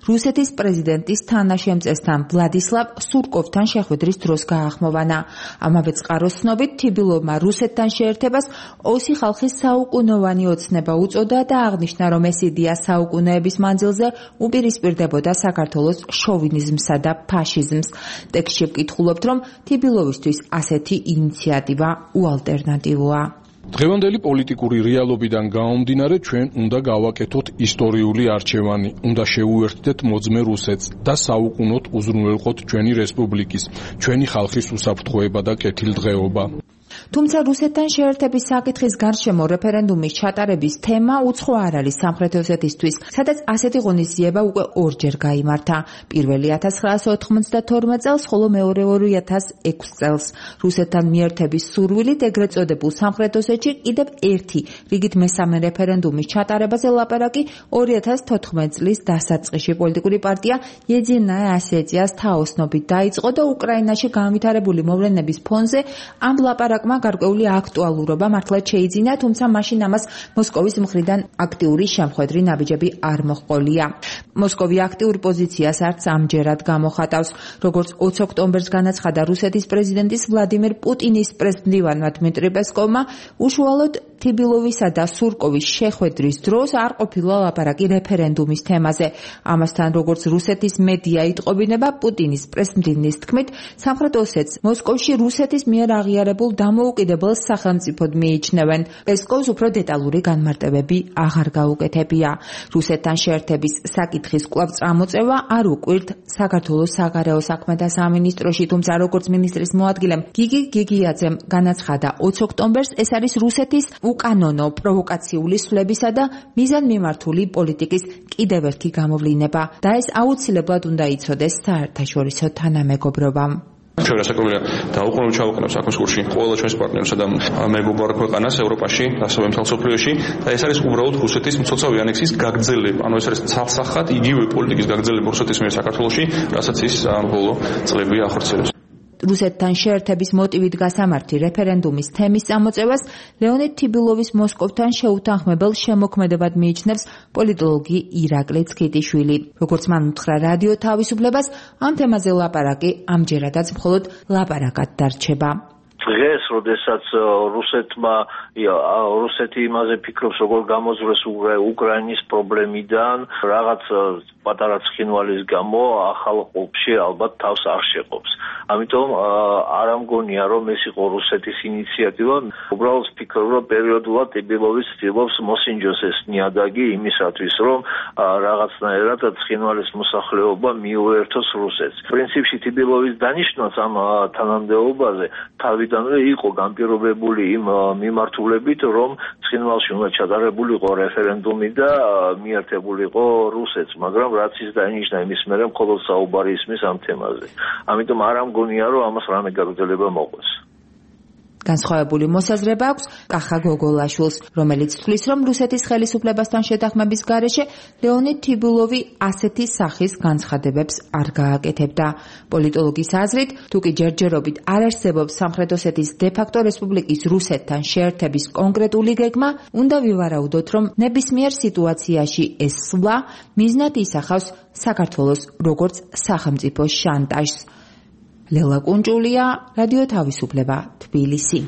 რუსეთის პრეზიდენტის თანაშემწესთან ვლადისლავ სურკოვთან შეხვედრის დროს გაახმოვანა. ამავე წყაროს ცნობით, თიბილოვმა რუსეთთან შეერთებას ოსი ხალხის საუკუნოვანი ოცნება უწოდა და აღნიშნა, რომ ეს იდეა საუკუნეების მანძილზე უპირისპირდებოდა საქართველოს შოვინიზმსა და ფაშიზმს. ტექსტში ვკითხულობთ, რომ თიბილოვისთვის ასეთი ინიციატივა უალტერნატივოა. დღევანდელი პოლიტიკური რეალობიდან გამომდინარე, ჩვენ უნდა გავაკეთოთ ისტორიული არჩევანი, უნდა შევუერთდეთ მოძმე რუსეთს და საუკუნოდ უზრუნველყოთ ჩვენი რესპუბლიკის, ჩვენი ხალხის უსაფრთხოება და კეთილდღეობა. თუმცა რუსეთთან შეერთების საკითხის გარშემო რეფერენდუმის ჩატარების თემა უცხო არ არის სამხრეთ ოსეთისთვის, სადაც ასეთი ღონისძიება უკვე ორჯერ გაიმართა. პირველი ათას ცხრაასი ოთხმოცდათორმეტ წელს, ხოლო მეორე ორი ათას ექვსი წელს. რუსეთთან მიერთების სურვილით ეგრეთ წოდებულ სამხრეთ ოსეთში კიდევ ერთი რიგით მესამე რეფერენდუმის ჩატარებაზე ლაპარაკი ორი ათას თოთხმეტ წლის დასაწყისში პოლიტიკური პარტია Единая Осетия's თაოსნობით დაიწყო და უკრაინაში განვითარებული მოვლენების ფონზე ამ ლაპარაკმა გარკვეული აქტუალურობა მართლაც შეიძინა, თუმცა მაშინ ამას მოსკოვის მხრიდან აქტიური შემხედრი ნაბიჯები არ მოჰყოლია. მოსკოვი აქტიურ პოზიციას არც ამჯერად გამოხატავს. როგორც ოცი ოქტომბერს განაცხადა რუსეთის პრეზიდენტის ვლადიმერ პუტინის პრესმდივანმა დმიტრი პესკოვმა, უშუალოდ თიბილოვისა და სურკოვის შეხვედრის დროს არ ყოფილა ლაპარაკი რეფერენდუმის თემაზე. ამასთან, როგორც რუსეთის მედია იტყობინება, პუტინის პრესმდივნის თქმით, სამხრეთ ოსეთს მოსკოვში რუსეთის მიერ აღიარებულ დამოუკიდებელ სახელმწიფოდ მიიჩნევენ. პესკოვს უფრო დეტალური განმარტებები აღარ გაუკეთებია. რუსეთთან შეერთების საკითხის კვლავ წამოწევა არ უკვირთ საქართველოს საგარეო საქმეთა სამინისტროში, თუმცა როგორც მინისტრის მოადგილემ გიგი გიგიაძემ განაცხადა, ოცი ოქტომბერს ეს არის რუსეთის უკანონო პროვოკაციული სვლებისა და მიზანმიმართული პოლიტიკის კიდევ ერთი გამოვლინება და ეს აუცილებლად უნდა იცოდეს საერთაშორისო თანამეგობრობამ. ჩვენ რასაკვირველია დაუყოვნებლივ ჩავაყენებთ საქმის კურსში ყველა ჩვენს პარტნიორსა და მეგობრ ქვეყანას ევროპაში, ასევე მთელ მსოფლიოში და ეს არის უბრალოდ რუსეთის მცოცავი ანექსიის გაგრძელება. ანუ ეს არის ცალსახად იგივე პოლიტიკის გაგრძელება რუსეთის მიერ საქართველოში, რასაც ის ბოლო წლები ახორციელებს. რუსეთთან შეერთების მოტივით გასამართი რეფერენდუმის თემის წამოწევას ლეონიდ თიბილოვის მოსკოვთან შეუთანხმებელ შემოქმედებად მიიჩნევს პოლიტოლოგი ირაკლი ცქიტიშვილი. როგორც მან უთხრა რადიო თავისუფლებას, ამ თემაზე ლაპარაკი ამჯერადაც მხოლოდ ლაპარაკად დარჩება. დღეს, როდესაც რუსეთმა რუსეთი იმაზე ფიქრობს, როგორ გამოძვრეს უკრაინის პრობლემიდან, რაღაც პატარა ცხინვალის გამო ახალ ყოფში ალბათ თავს არ შეყობს. ამიტომ არ ამგონია, რომ ეს იყო რუსეთის ინიციატივა. უბრალოდ ვფიქრობ, რომ პერიოდულად ტიბილოვი ცდილობს მოსინჯოს ეს ნიადაგი იმისათვის, რომ რაღაცნაირად ცხინვალის მოსახლეობა მიუერთოს რუსეთს. პრინციპში ტიბილოვის დანიშნვაც ამ თანამდებობაზე თავიდანვე იყო განპირობებული იმ მიმართულებით, რომ ცხინვალში უნდა ჩატარებულიყო რეფერენდუმი და მიერთებულიყო რუსეთს, მაგრამ რაც ის დაინიშნა, იმის მერე მხოლოდ საუბარი ისმის ამ თემაზე. ამიტომ არ ამგონია, რომ ამას რამე გაგრძელება მოყვეს. განსხვავებული მოსაზრება აქვს კახა გოგოლაშვილს, რომელიც თვლის, რომ რუსეთის ხელისუფლებასთან შეთანხმების გარეშე ლეონიდ თიბილოვი ასეთი სახის განცხადებებს არ გააკეთებდა. პოლიტოლოგის აზრით, თუკი ჯერჯერობით არ არსებობს სამხრეთ ოსეთის დე-ფაქტო რესპუბლიკის რუსეთთან შეერთების კონკრეტული გეგმა, უნდა ვივარაუდოთ, რომ ნებისმიერ სიტუაციაში ეს სვლა მიზნად ისახავს საქართველოს როგორც სახელმწიფო შანტაჟს. ლელა კუნჭულია, რადიო თავისუფლება, თბილისი.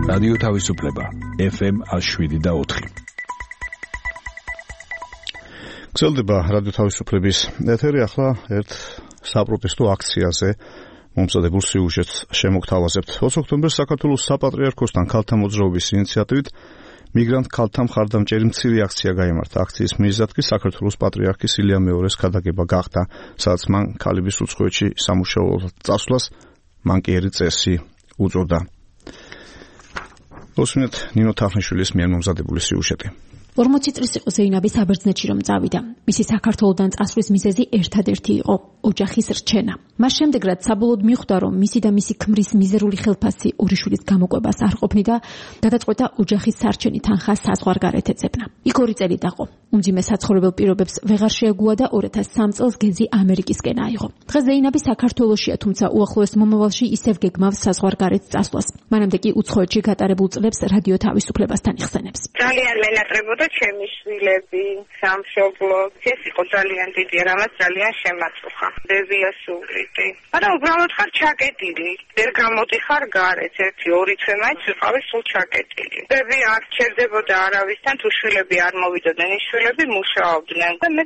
რადიო თავისუფლება, ეფ ემ ათი შვიდი და ოთხი. გრძელდება რადიო თავისუფლების ეთერი, ახლა ერთ საპროტესტო აქციაზე მომზადებულ სიუჟეტს შემოგთავაზებთ. ოცი ოქტომბერს საქართველოს საპატრიარქოსთან ქალთა მოძრაობის ინიციატივით მიგრანტ ქალთა მხარდამჭერი მცირე აქცია გაიმართა. აქციის მიზეზად კი საქართველოს პატრიარქის ილია მეორეს ქადაგება გახდა, სადაც მან ქალების უცხოეთში სამუშაოდ წასვლას მანკიერი წესი უწოდა. ოსმენთ ნინო თახნიშვილის მიერ მომზადებული სიუჟეტი. ორმოცი წლის იყო ზეინაბი საბერძნეთში რომ წავიდა. მისი საქართველოსდან წასვლის მიზეზი ერთადერთი იყო ოჯახის რჩენა. მას შემდეგ რაც საბოლოოდ მიხვდა რომ მისი და მისი ქმრის მიზერული ხელფასი ორი შვილის გამოყვებას არ ყოფნი და გადაწყვეტა ოჯახის სარჩენი თანხა საზღვარგარეთ ეძებნა. იქ ორი წელი დაყო. უმძიმე საცხოვრებელ პირობებს ვეღარ შეეგუა და ორი ათას სამი წელს გეზი ამერიკისკენ აიღო. დღეს ზეინაბი საქართველოშია, თუმცა უახლოეს მომავალში ისევ გეგმავს საზღვარგარეთ წასვლას. მანამდე კი უცხოეთში გატარებულ წლებს რადიო თავისუფლებასთან იხსენებს. ძალიან მენატრებოდა ჩემი შვილები, სამშობლო. ეს იყო ძალიან დიდი, რამაც ძალიან შემაწუხა. დევიას უვლიტი. არა, უბრალოდ ხარ ჩაკეტილი. ვერ გამოდიხარ გარეთ, ერთი ორი თვე მაინც ვიყავი სულ ჩაკეტილი. დევი არ ჩერდებოდა არავისთან, თუ შვილები არ მოვიდოდნენ, ის შვილები მუშაობდნენ და მე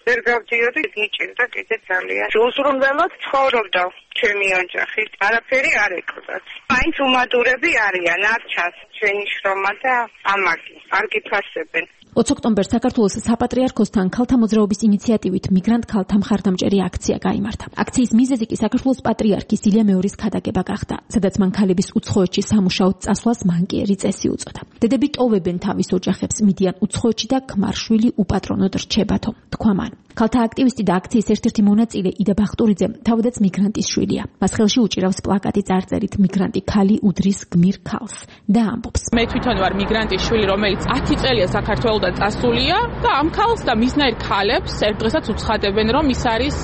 ვერ გავდიოდი, მიჭირდა კიდე ძალიან. უზრუნველად ცხოვრობდა ჩემი ოჯახით. არაფერი არ ეკვრდათ. მაინც უმადურები არიან, არ ჩანს ჩვენი შრომა და ამაგი. არ გიფასებენ. ოცი ოქტომბერს საქართველოს საპატრიარქოსთან ქალთა მოძრაობის ინიციატივით მიგრანტ ქალთა მხარდამჭერი აქცია გაიმართა. აქციის მიზეზი კი საქართველოს პატრიარქის ილია მეორის ქადაგება გახდა, სადაც მან ქალების უცხოეთში სამუშაოდ წასვლას მანკიერი წესი უწოდა. დედები ტოვებენ თავის ოჯახებს, მიდიან უცხოეთში და ქმარშვილი უპატრონოდ რჩებათო, თქვა მან. ქალთა აქტივისტი და აქციის ერთ-ერთი მონაწილე იდა ბახტურიძე თავადაც მიგრანტის შვილია. მას ხელში უჭირავს პლაკატი წარწერით მიგრანტი ქალი უდრის გმირ ქალს და ამბობს: მე თვითონ ვარ მიგრანტის შვილი, რომელიც ათი წელია საქართველოსთან წასულია და ამ ქალს და მისნაირ ქალებს ერთ დღესაც უცხადებენ, რომ ის არის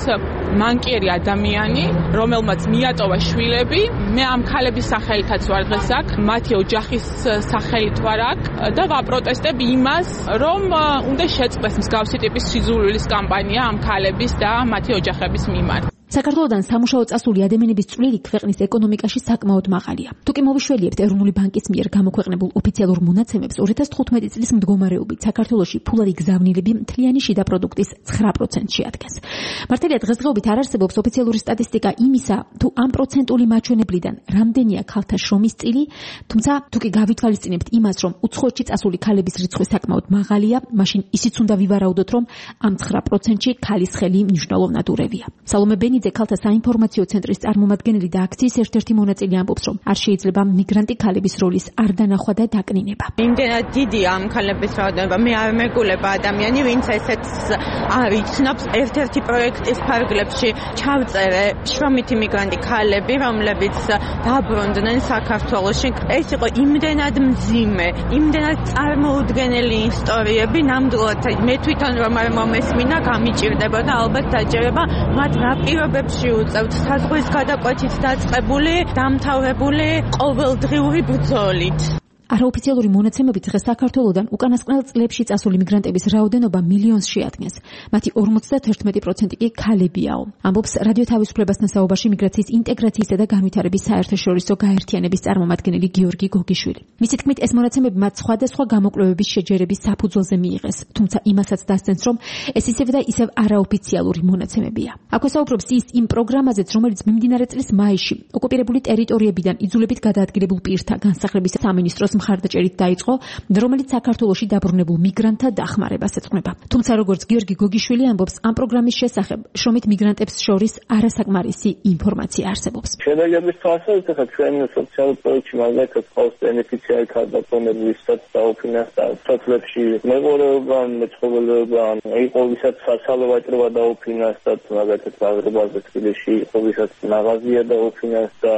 მანკიერი ადამიანი, რომელმაც მიატოვა შვილები. მე ამ ქალების სახელითაც ვარ დღეს აქ, მათი ოჯახის სახელით ვარ აქ და ვაპროტესტებ იმას, რომ უნდა შეწყდეს მსგავსი ტიპის სიძულვილის კამპანია ამ ქალების და მათი ოჯახების მიმართ. საქართველოსთან სამუშაო წასული ადამიანების წვლილი ქვეყნის ეკონომიკაში საკმაოდ მაღალია. თუ კი მოვიშველიებთ ეროვნული ბანკის მიერ გამოქვეყნებულ ოფიციალურ მონაცემებს, ორი ათას თხუთმეტი წლის მდგომარეობით საქართველოში ფულადი გზავნილები მთლიანი შიდა პროდუქტის ცხრა პროცენტში ადგეს. მართალია დღესდღეობით არ არსებობს ოფიციალური სტატისტიკა იმისა, თუ ამ პროცენტული მაჩვენებლიდან რამდენია ქალთა შრომის წილი, თუმცა თუ კი გავითვალისწინებთ იმას, რომ უცხოეთში წასული ქალების რიცხვი საკმაოდ მაღალია, მაშინ ისიც უნდა ვივარაუდოთ, რომ ამ ცხრა პროცენტში ქალის ხელი მნიშვნელოვნად ურევია. სალომე ბენიძე ქალთა საინფორმაციო ცენტრის წარმომადგენელი და აქციის ერთ-ერთი მონაწილე ამბობს, რომ არ შეიძლება მიგრანტი ქალების როლის არ დანახვა და დაკნინება. იმდენად დიდია ამ ქალების რაოდენობა, მე არ მეგულება ადამიანი, ვინც ესეც არ იცნობს. ერთ-ერთი პროექტის ფარგლებში ჩავწერე შრომითი მიგრანტი ქალები, რომლებიც დაბრუნდნენ საქართველოში. ეს იყო იმდენად მძიმე, იმდენად წარმოუდგენელი ისტორიები, ნამდვილად მე თვითონ რომ არ მომესმინა, გამიჭირდებოდა ალბათ დაჯერება მათ რა პირობებში უწევთ საზღვრის გადაკვეთით დაწყებული, დამთავრებული ყოველდღიური ბრძოლით. არაოფიციალური მონაცემებით დღეს საქართველოსთან უკანასკნელ წლებში წასული მიგრანტების რაოდენობა მილიონს შეადგენს. მათი ორმოცდათერთმეტი პროცენტი კი ქალებიაო. ამბობს რადიო თავისუფლებასთან საუბარში მიგრაციის ინტეგრაციისა და განვითარების საერთაშორისო გაერთიანების წარმომადგენელი გიორგი გოგიშვილი. მისი თქმით, ეს მონაცემები მათ სხვადასხვა გამოკვლევების შეჯერების საფუძველზე მიიღეს, თუმცა იმასაც დასცენს, რომ ეს ისევ და ისევ არაოფიციალური მონაცემებია. აქვე საუბრობს ის იმ პროგრამაზეც, რომელიც მიმდინარე წლის მაისში ოკუპირებული ტერიტორიებიდან იძულებით გადაადგილებულ პირთა განსახლების სამინისტროს მხარდაჭერით დაიწყო, რომელიც საქართველოში დაბრუნებულ მიგრანტთა დახმარებას ეძღვნება. თუმცა როგორც გიორგი გოგიშვილი ამბობს, ამ პროგრამის შესახებ შრომით მიგრანტებს შორის არასაკმარისი ინფორმაცია არსებობს. შედეგების თვალსაზრისით, ახლა ჩვენ სოციალურ პროექტში მაგალითად ყავს ბენეფიციარი ქალბატონები, ვისაც დაუფინანსდა სოფლებში მეღორეობა, მეცხოველეობა, იყო ვისაც საცალო ვაჭრობა დაუფინანსდა, მაგალითად აღრებაზე თბილისში იყო ვისაც მაღაზია დაუფინანსდა.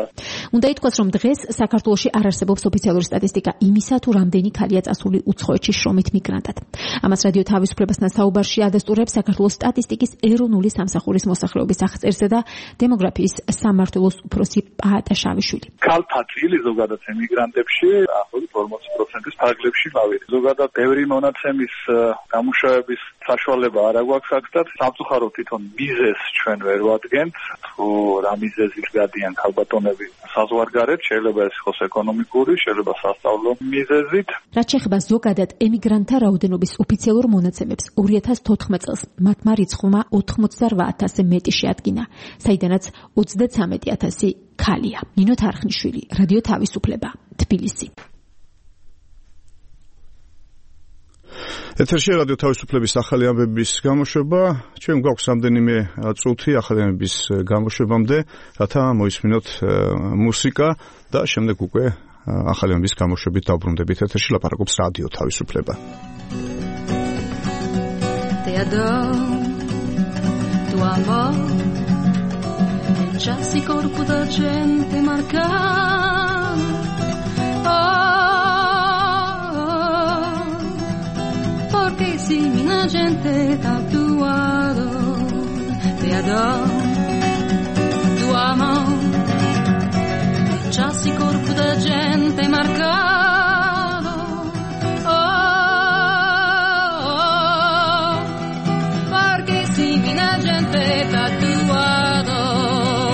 უნდა ითქვას, რომ დღეს საქართველოში არ არსებობს ოფიციალური სტატისტიკა იმისა, თუ რამდენი ქალია წასული უცხოეთში შრომით მიგრანტად. ამას რადიო თავისუფლებასთან საუბარში ადასტურებს საქართველოს სტატისტიკის ეროვნული სამსახურის მოსახლეობის აღწერისა და დემოგრაფიის სამმართველოს უფროსი პაატა შავიშვილი. ქალთა წილი ზოგადად ემიგრანტებში ახლობით ორმოცი პროცენტის ფარგლებში გავიდა. ზოგადად ბევრი მონაცემის გამუშავების საშუალება არ აქვს აქ და სამწუხაროდ თვითონ მიზეზს ჩვენ ვერ ვადგენთ, თუ რა მიზეზით გადიან ქალბატონები საზღვარგარეთ, შეიძლება ეს იყოს ეკონომიკური, შეიძლება სასწავლო მიზეზით. რაც შეეხება ზოგადად ემიგრანტთა რაოდენობის ოფიციალურ მონაცემებს, ორი ათას თოთხმეტ წელს მათმა რიცხვმა ოცდაოთხ ათასზე მეტი შეადგინა, საიდანაც ოცდაცამეტი ათასი ქალია. ნინო თარხნიშვილი, რადიო თავისუფლება, თბილისი. ეთერში რადიო თავისუფლების ახალი ამბების გამოშვება. ჩვენ გვაქვს რამდენიმე წუთი ახალი ამბების გამოშვებამდე, რათა მოისმინოთ მუსიკა და შემდეგ უკვე ახალი ამბების გამოშვებით დავბრუნდებით ეთერში, ლაპარაკობს რადიო თავისუფლება. Te adoro, tu amor, il chassi corpo da gente marcata. Oh, porque si mina gente tatuado. Te adoro, tu amor, il chassi corpo da gente marcado. Oh, porque si mina gente tatuado.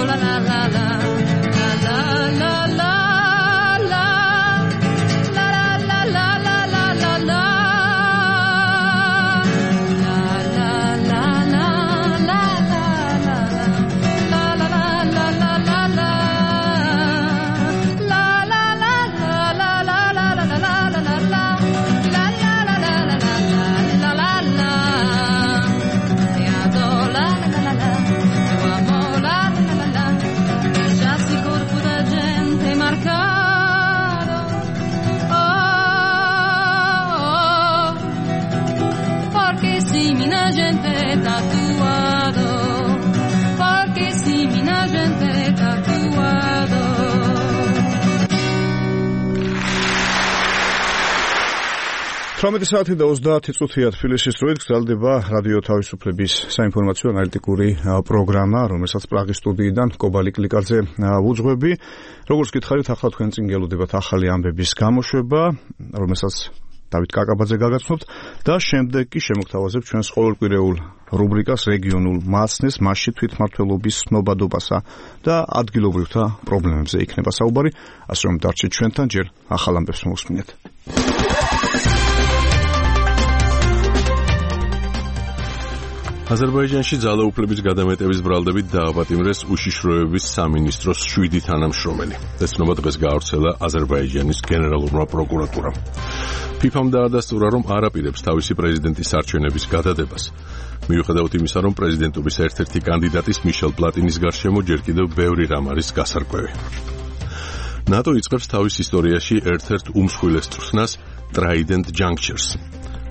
La la la la la la la. თვრამეტი საათი და ოცდაათი წუთია თბილისის დროით გრძელდება რადიო თავისუფლების საინფორმაციო ანალიტიკური პროგრამა, რომელსაც პრაღის სტუდიიდან კობალი კლიკაძე ვუძღვები. როგორც გითხარით, ახლა თქვენ წინ გელოდებათ ახალი ამბების გამოშვება, რომელსაც დავით კაკაბაძე გაგაცნობთ და შემდეგ კი შემოგთავაზებ ჩვენს ყოველკვირეულ რუბრიკას რეგიონულ მაცნეს, მასში თვითმმართველობის ცნობადობასა და ადგილობრივთა პრობლემებზე იქნება საუბარი. ასე რომ დარჩეთ ჩვენთან, ჯერ ახალ ამბებს მოვუსმინეთ. აზერბაიჯანში ძალაუფლების გადამეტების ბრალდებით დააპატიმრეს უშიშროების სამინისტროს შვიდი თანამშრომელი. ეს ცნობა დღეს გაავრცელა აზერბაიჯანის გენერალურმა პროკურატურამ. ფიფამ დაადასტურა, რომ არ აპირებს თავისი პრეზიდენტის არჩევნების გადადებას. მიუხედავად იმისა, რომ პრეზიდენტობის ერთ-ერთი კანდიდატის მიშელ პლატინის გარშემო ჯერ კიდევ ბევრი რამ არის გასარკვევი. ნატო იწყებს თავის ისტორიაში ერთ-ერთ უმსხვილეს წვრთნას Trident Junctures,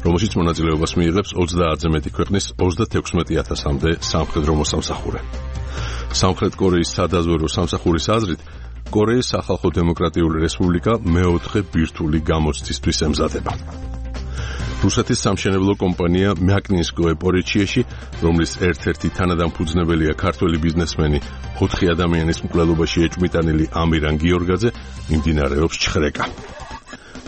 რომელშიც მონაწილეობას მიიღებს ოცდაათზე მეტი ქვეყნის ოცდათექვსმეტი ათასამდე სამხედრო მოსამსახურე. სამხრეთ კორეის სადაზვერვო სამსახურის აზრით, კორეის სახალხო დემოკრატიული რესპუბლიკა მეოთხე ბირთვული გამოცდისთვის ემზადება. რუსეთის სამშენებლო კომპანია მაკნინსკოე პორიჩიეში, რომლის ერთ-ერთი თანადამფუძნებელია ქართველი ბიზნესმენი, ოთხი ადამიანის მკვლელობაში ეჭვმიტანილი ამირან გიორგაძე, მიმდინარეობს ჩხრეკა.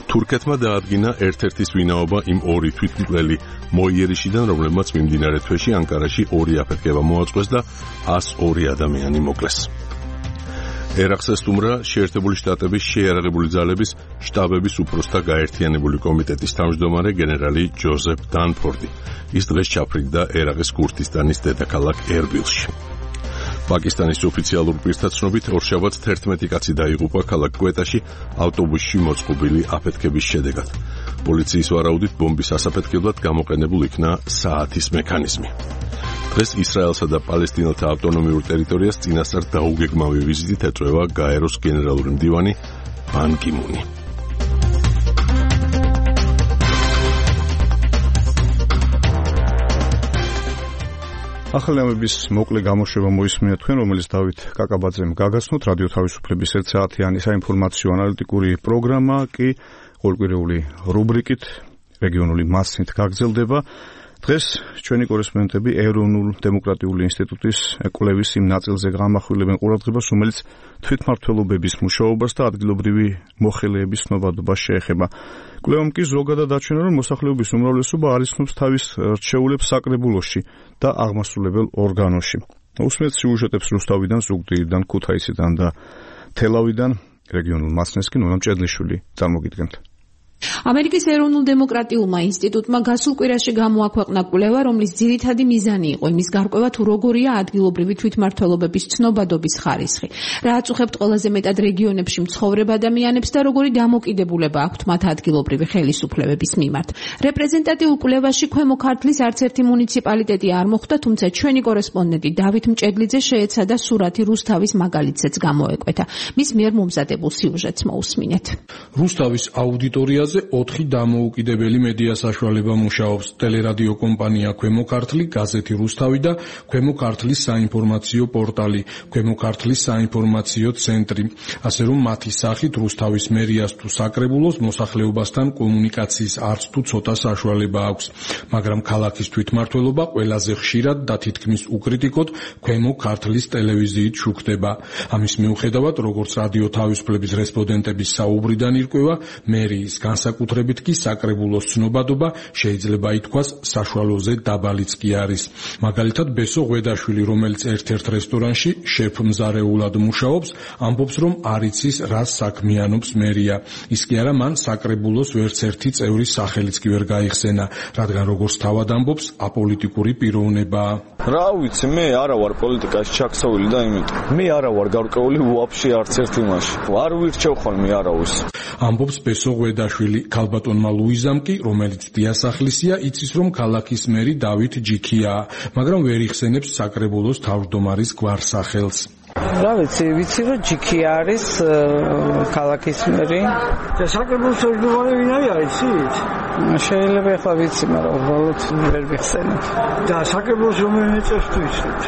თურქეთმა დაადგინა ერთ-ერთის ვინაობა იმ ორი თვითმკვლელი მოიერიშიდან, რომლებმაც მიმდინარე თვეში ანკარაში ორი აფეთქება მოაწყვეს და ას ორი ადამიანი მოკლეს. ერაყს ესტუმრა შეერთებული შტატების შეიარაღებული ძალების შტაბების უფროსთა გაერთიანებული კომიტეტის თავმჯდომარე გენერალი ჯოზეფ დანფორდი. ის დღეს ჩაფრინდა ერაყის ქურთისტანის დედაქალაქ ერბილში. პაკისტანის ოფიციალურ პირთა ცნობით ორშაბათს თერთმეტი კაცი დაიღუპა ქალაქ კვეტაში ავტობუსში მოწყობილი აფეთქების შედეგად. პოლიციის ვარაუდით ბომბის ასაფეთქებლად გამოყენებულ იქნა საათის მექანიზმი. დღეს ისრაელსა და პალესტინელთა ავტონომიურ ტერიტორიას წინასწარ დაუგეგმავი ვიზიტით ეწვევა გაეროს გენერალური მდივანი ბან კი მუნი. ახალი ამბების მოკლე გამოშვება მოისმინეთ თქვენ, რომელიც დავით კაკაბაძემ გაგაცნოთ. რადიო თავისუფლების ერთ საათიანი საინფორმაციო ანალიტიკური პროგრამა კი ყოველკვირეული რუბრიკით რეგიონული მასნით გაგრძელდება. დღეს ჩვენი კორესპონდენტები ეროვნულ დემოკრატიული ინსტიტუტის კვლევის იმ ნაწილზე გამახვილებენ ყურადღებას, რომელიც თვითმმართველობების მუშაობას და ადგილობრივი მოხელეების ცნობადობას შეეხება. კვლევამ კი ზოგადად აჩვენა, რომ მოსახლეობის უმრავლესობა არ იცნობს თავის რჩეულებს საკრებულოში და აღმასრულებელ ორგანოში. უსმენთ სიუჟეტებს რუსთავიდან, ზუგდიდიდან, ქუთაისიდან და თელავიდან. რეგიონულ მასნესკენ ნონა მჭედლიშვილი წარმოგიდგენთ. ამერიკის ეროვნულ დემოკრატიულმა ინსტიტუტმა გასულ კვირაში გამოაქვეყნა კვლევა, რომლის ძირითადი მიზანი იყო იმის გარკვევა, თუ როგორია ადგილობრივი თვითმმართველობების ცნობადობის ხარისხი, რა აწუხებთ ყველაზე მეტად რეგიონებში მცხოვრებ ადამიანებს და როგორი დამოკიდებულება აქვთ მათ ადგილობრივი ხელისუფლებების მიმართ. რეპრეზენტატიულ კვლევაში ქვემო ქართლის არც ერთი მუნიციპალიტეტი არ მოხვდა, თუმცა ჩვენი კორესპონდენტი დავით მჭედლიძე შეეცადა სურათი რუსთავის მაგალითზეც გამოეკვეთა. მის მიერ მომზადებულ სიუჟეტს მოусმინეთ. რუსთავის აუდიტორია ოთხი დამოუკიდებელი მედია საშუალება მუშაობს: ტელერადიო კომპანია ქვემო ქართლი, გაზეთი რუსთავი და ქვემო ქართლის საინფორმაციო პორტალი ქვემო ქართლის საინფორმაციო ცენტრი. ასე რომ მათი სახით რუსთავის მერიას თუ საკრებულოს მოსახლეობასთან კომუნიკაციის არც თუ ცოტა საშუალება აქვს, მაგრამ ქალაქის თვითმმართველობა ყველაზე ხშირად და თითქმის უკრიტიკოდ ქვემო ქართლის ტელევიზიით შუქდება. ამის მიუხედავად, როგორც რადიო თავისუფლების რესპონდენტების საუბრიდან ირკვევა, მერიის განსაკუთრებით კი საკრებულოს ცნობადობა შეიძლება ითქვას საშუალოზე დაბალიც კი არის. მაგალითად, ბესო ღვედაშვილი, რომელიც ერთ-ერთ რესტორანში შეფ-მზარეულად მუშაობს, ამბობს, რომ არ იცის რას საქმიანობს მერია. ის კი არა, მან საკრებულოს ვერც ერთი წევრის სახელიც კი ვერ გაიხსენა, რადგან როგორც თავად ამბობს, აპოლიტიკური პიროვნებაა. რა ვიცი, მე არა ვარ პოლიტიკაში ჩაქსოვილი და იმიტომ. მე არა ვარ გარკვეული ვაფშე არც ერთ იმაში. არ ვირჩევ ხოლმე არავის. ამბობს ბესო ღვედაშვილი. ქალბატონმა ლუიზამ კი, რომელიც დიასახლისია, იცის, რომ ქალაქის მერი დავით ჯიქიაა, მაგრამ ვერ იხსენებს საკრებულოს თავმჯდომარის გვარსახელს. რა ვიცი, ვიცი რომ ჯიქი არის ქალაქის მერი. და საკრებულოს თავმჯდომარე ვინ არის, იცით? შეიძლება ახლა ვიცი, მაგრამ უბრალოდ ვერ ვიხსენებ. და საკრებულოს რომელი წევს თუ იცით?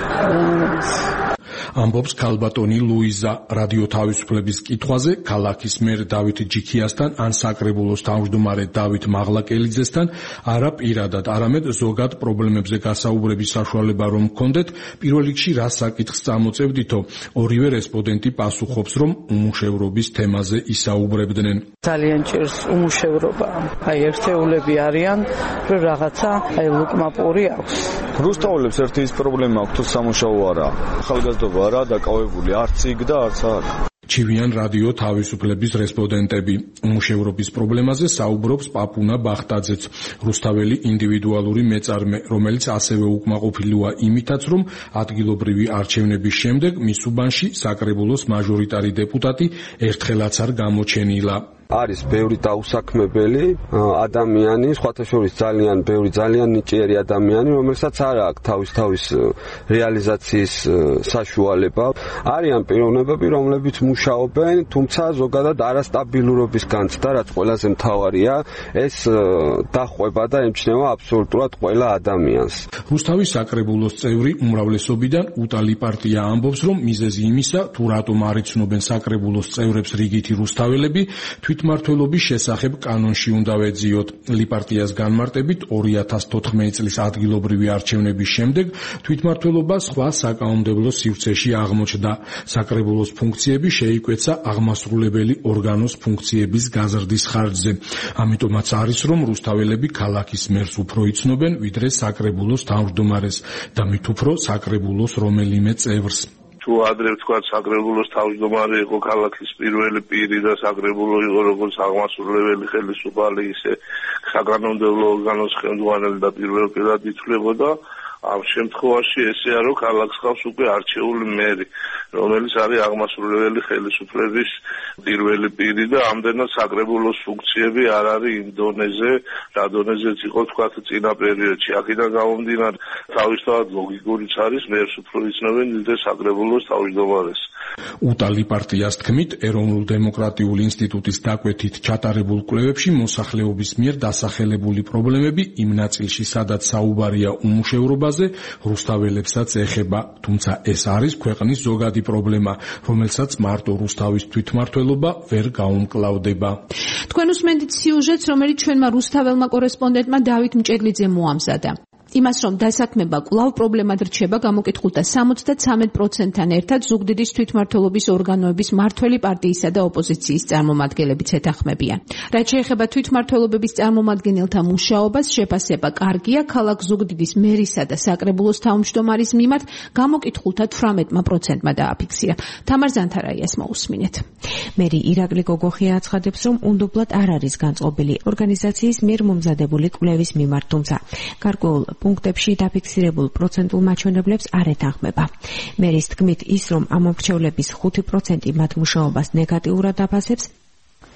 ამბობს ქალბატონი ლუიზა რადიო თავისუფლების კითხვაზე ქალაქის მერ დავით ჯიქიასთან ან საკრებულოს თავმჯდომარე დავით მაღლაკელიძესთან არა პირადად, არამედ ზოგად პრობლემებზე გასაუბრების საშუალება რომ გქონდეთ, პირველ რიგში რა საკითხს წამოწევდითო, ორივე რესპონდენტი პასუხობს, რომ უმუშევრობის თემაზე ისაუბრებდნენ. ძალიან ჭირს უმუშევრობა. აი ერთეულები არიან, რომ რაღაცა აი ლუკმაპური აქვს. რუსთაველებს ერთი ის პრობლემა აქვს, თუ სამუშაო არა. ახალგაზრდობა არა დაკავებული არც იქ და არც აქ. ჩივიან რადიო თავისუფლების რესპონდენტები. უმუშევრობის პრობლემაზე საუბრობს პაპუნა ბახტაძეც, რუსთაველი ინდივიდუალური მეწარმე, რომელიც ასევე უკმაყოფილოა იმითაც, რომ ადგილობრივი არჩევნების შემდეგ მის უბანში საკრებულოს მაჟორიტარი დეპუტატი ერთხელაც არ გამოჩენილა. არის ბევრი დაუსაქმებელი ადამიანი, სხვათა შორის ძალიან ბევრი ძალიან ნიჭიერი ადამიანი, რომელსაც არ აქვს თავის თავის რეალიზაციის საშუალება. არიან პიროვნებები, რომლებიც მუშაობენ, თუმცა ზოგადად არასტაბილურობის განცდა, რაც ყველაზე მთავარია, ეს დახვევა და ემჩნევა აბსოლუტურად ყველა ადამიანს. რუსთავის საკრებულოს წევრი უმრავლესობიდან უტალი პარტია ამბობს, რომ მიზეზი იმისა, თუ რატომ არ იცნობენ საკრებულოს წევრებს რიგითი რუსთაველები, თვითმმართველობის შესახებ კანონში უნდა ვეძიოთ. ლიპარტიას განმარტებით ორი ათას თოთხმეტი წლის ადგილობრივი არჩევნების შემდეგ თვითმმართველობა სხვა საკანონმდებლო სივრცეში აღმოჩნდა. საკრებულოს ფუნქციები შეიკვეცა აღმასრულებელი ორგანოს ფუნქციების გაზრდის ხარჯზე. ამიტომაც არის, რომ რუსთაველები ქალაქის მერს უფრო იცნობენ, ვიდრე საკრებულოს თავმჯდომარეს და მით უფრო საკრებულოს რომელიმე წევრს. თუ ადრე ვთქვა საკრებულოს თავმჯდომარე იყო ქალაქის პირველი პირი და საკრებულო იყო როგორც აღმასრულებელი ხელისუფალი, ისე საკანონმდებლო ორგანოს ხელმძღვანელი და პირველად ითვლებოდა. ამ შემთხვევაში ესეა, რომ ქალაქს ხავს უკვე არჩეული მერი, რომელიც არის აღმასრულებელი ხელისუფლების პირველი პირი და ამდენად საკრებულოს ფუნქციები არ არის იმ დონეზე, რა დონეზეც იყო თქვა წინა პერიოდში. აქედან გამომდინარე, თავისთავად ლოგიკურიც არის, მერს უფრო იცნობენ ვიდრე საკრებულოს თავმჯდომარეს. უტალი პარტიას თქმით, ეროვნულ-დემოკრატიული ინსტიტუტის დაკვეთით ჩატარებულ კვლევებში მოსახლეობის მიერ დასახელებული პრობლემები იმ ნაწილში, სადაც საუბარია უმუშევრობაზე, რუსთაველებსაც ეხება, თუმცა ეს არის ქვეყნის ზოგადი პრობლემა, რომელსაც მარტო რუსთავის თვითმმართველობა ვერ გაუმკლავდება. თქვენ უსმენთ სიუჟეტს, რომელიც ჩვენმა რუსთაველმა კორესპონდენტმა დავით მჭედლიძემ მოამზადა. იმას, რომ დასაქმება კვლავ პრობლემად რჩება, გამოკითხულთა სამოცდათრამეტ პროცენტთან ერთად ზუგდიდის თვითმმართველობის ორგანოების მართველი პარტიისა და ოპოზიციის წარმომადგენლებიც ეთანხმებიან. რაც შეეხება თვითმმართველობების წარმომადგენელთა მუშაობას, შეფასება კარგია, ქალაქ ზუგდიდის მერისა და საკრებულოს თავმჯდომარის მიმართ გამოკითხულთა თვრამეტ პროცენტმა დააფიქსირა. თამარ ზანთარაიას მოусმინეთ. მერი ირაკლი გოგოხია აცხადებს, რომ უნდობლად არ არის განწყობილი ორგანიზაციის მიერ მომზადებული კვლევის მიმართ, თუმცა გარკვეულ პუნქტებში დაფიქსირებულ პროცენტულ მაჩვენებლებს არ ეთანხმება. მერის თქმით, ის რომ ამ მრჩევლების ხუთი პროცენტი მათ მუშაობას ნეგატიურად აფასებს,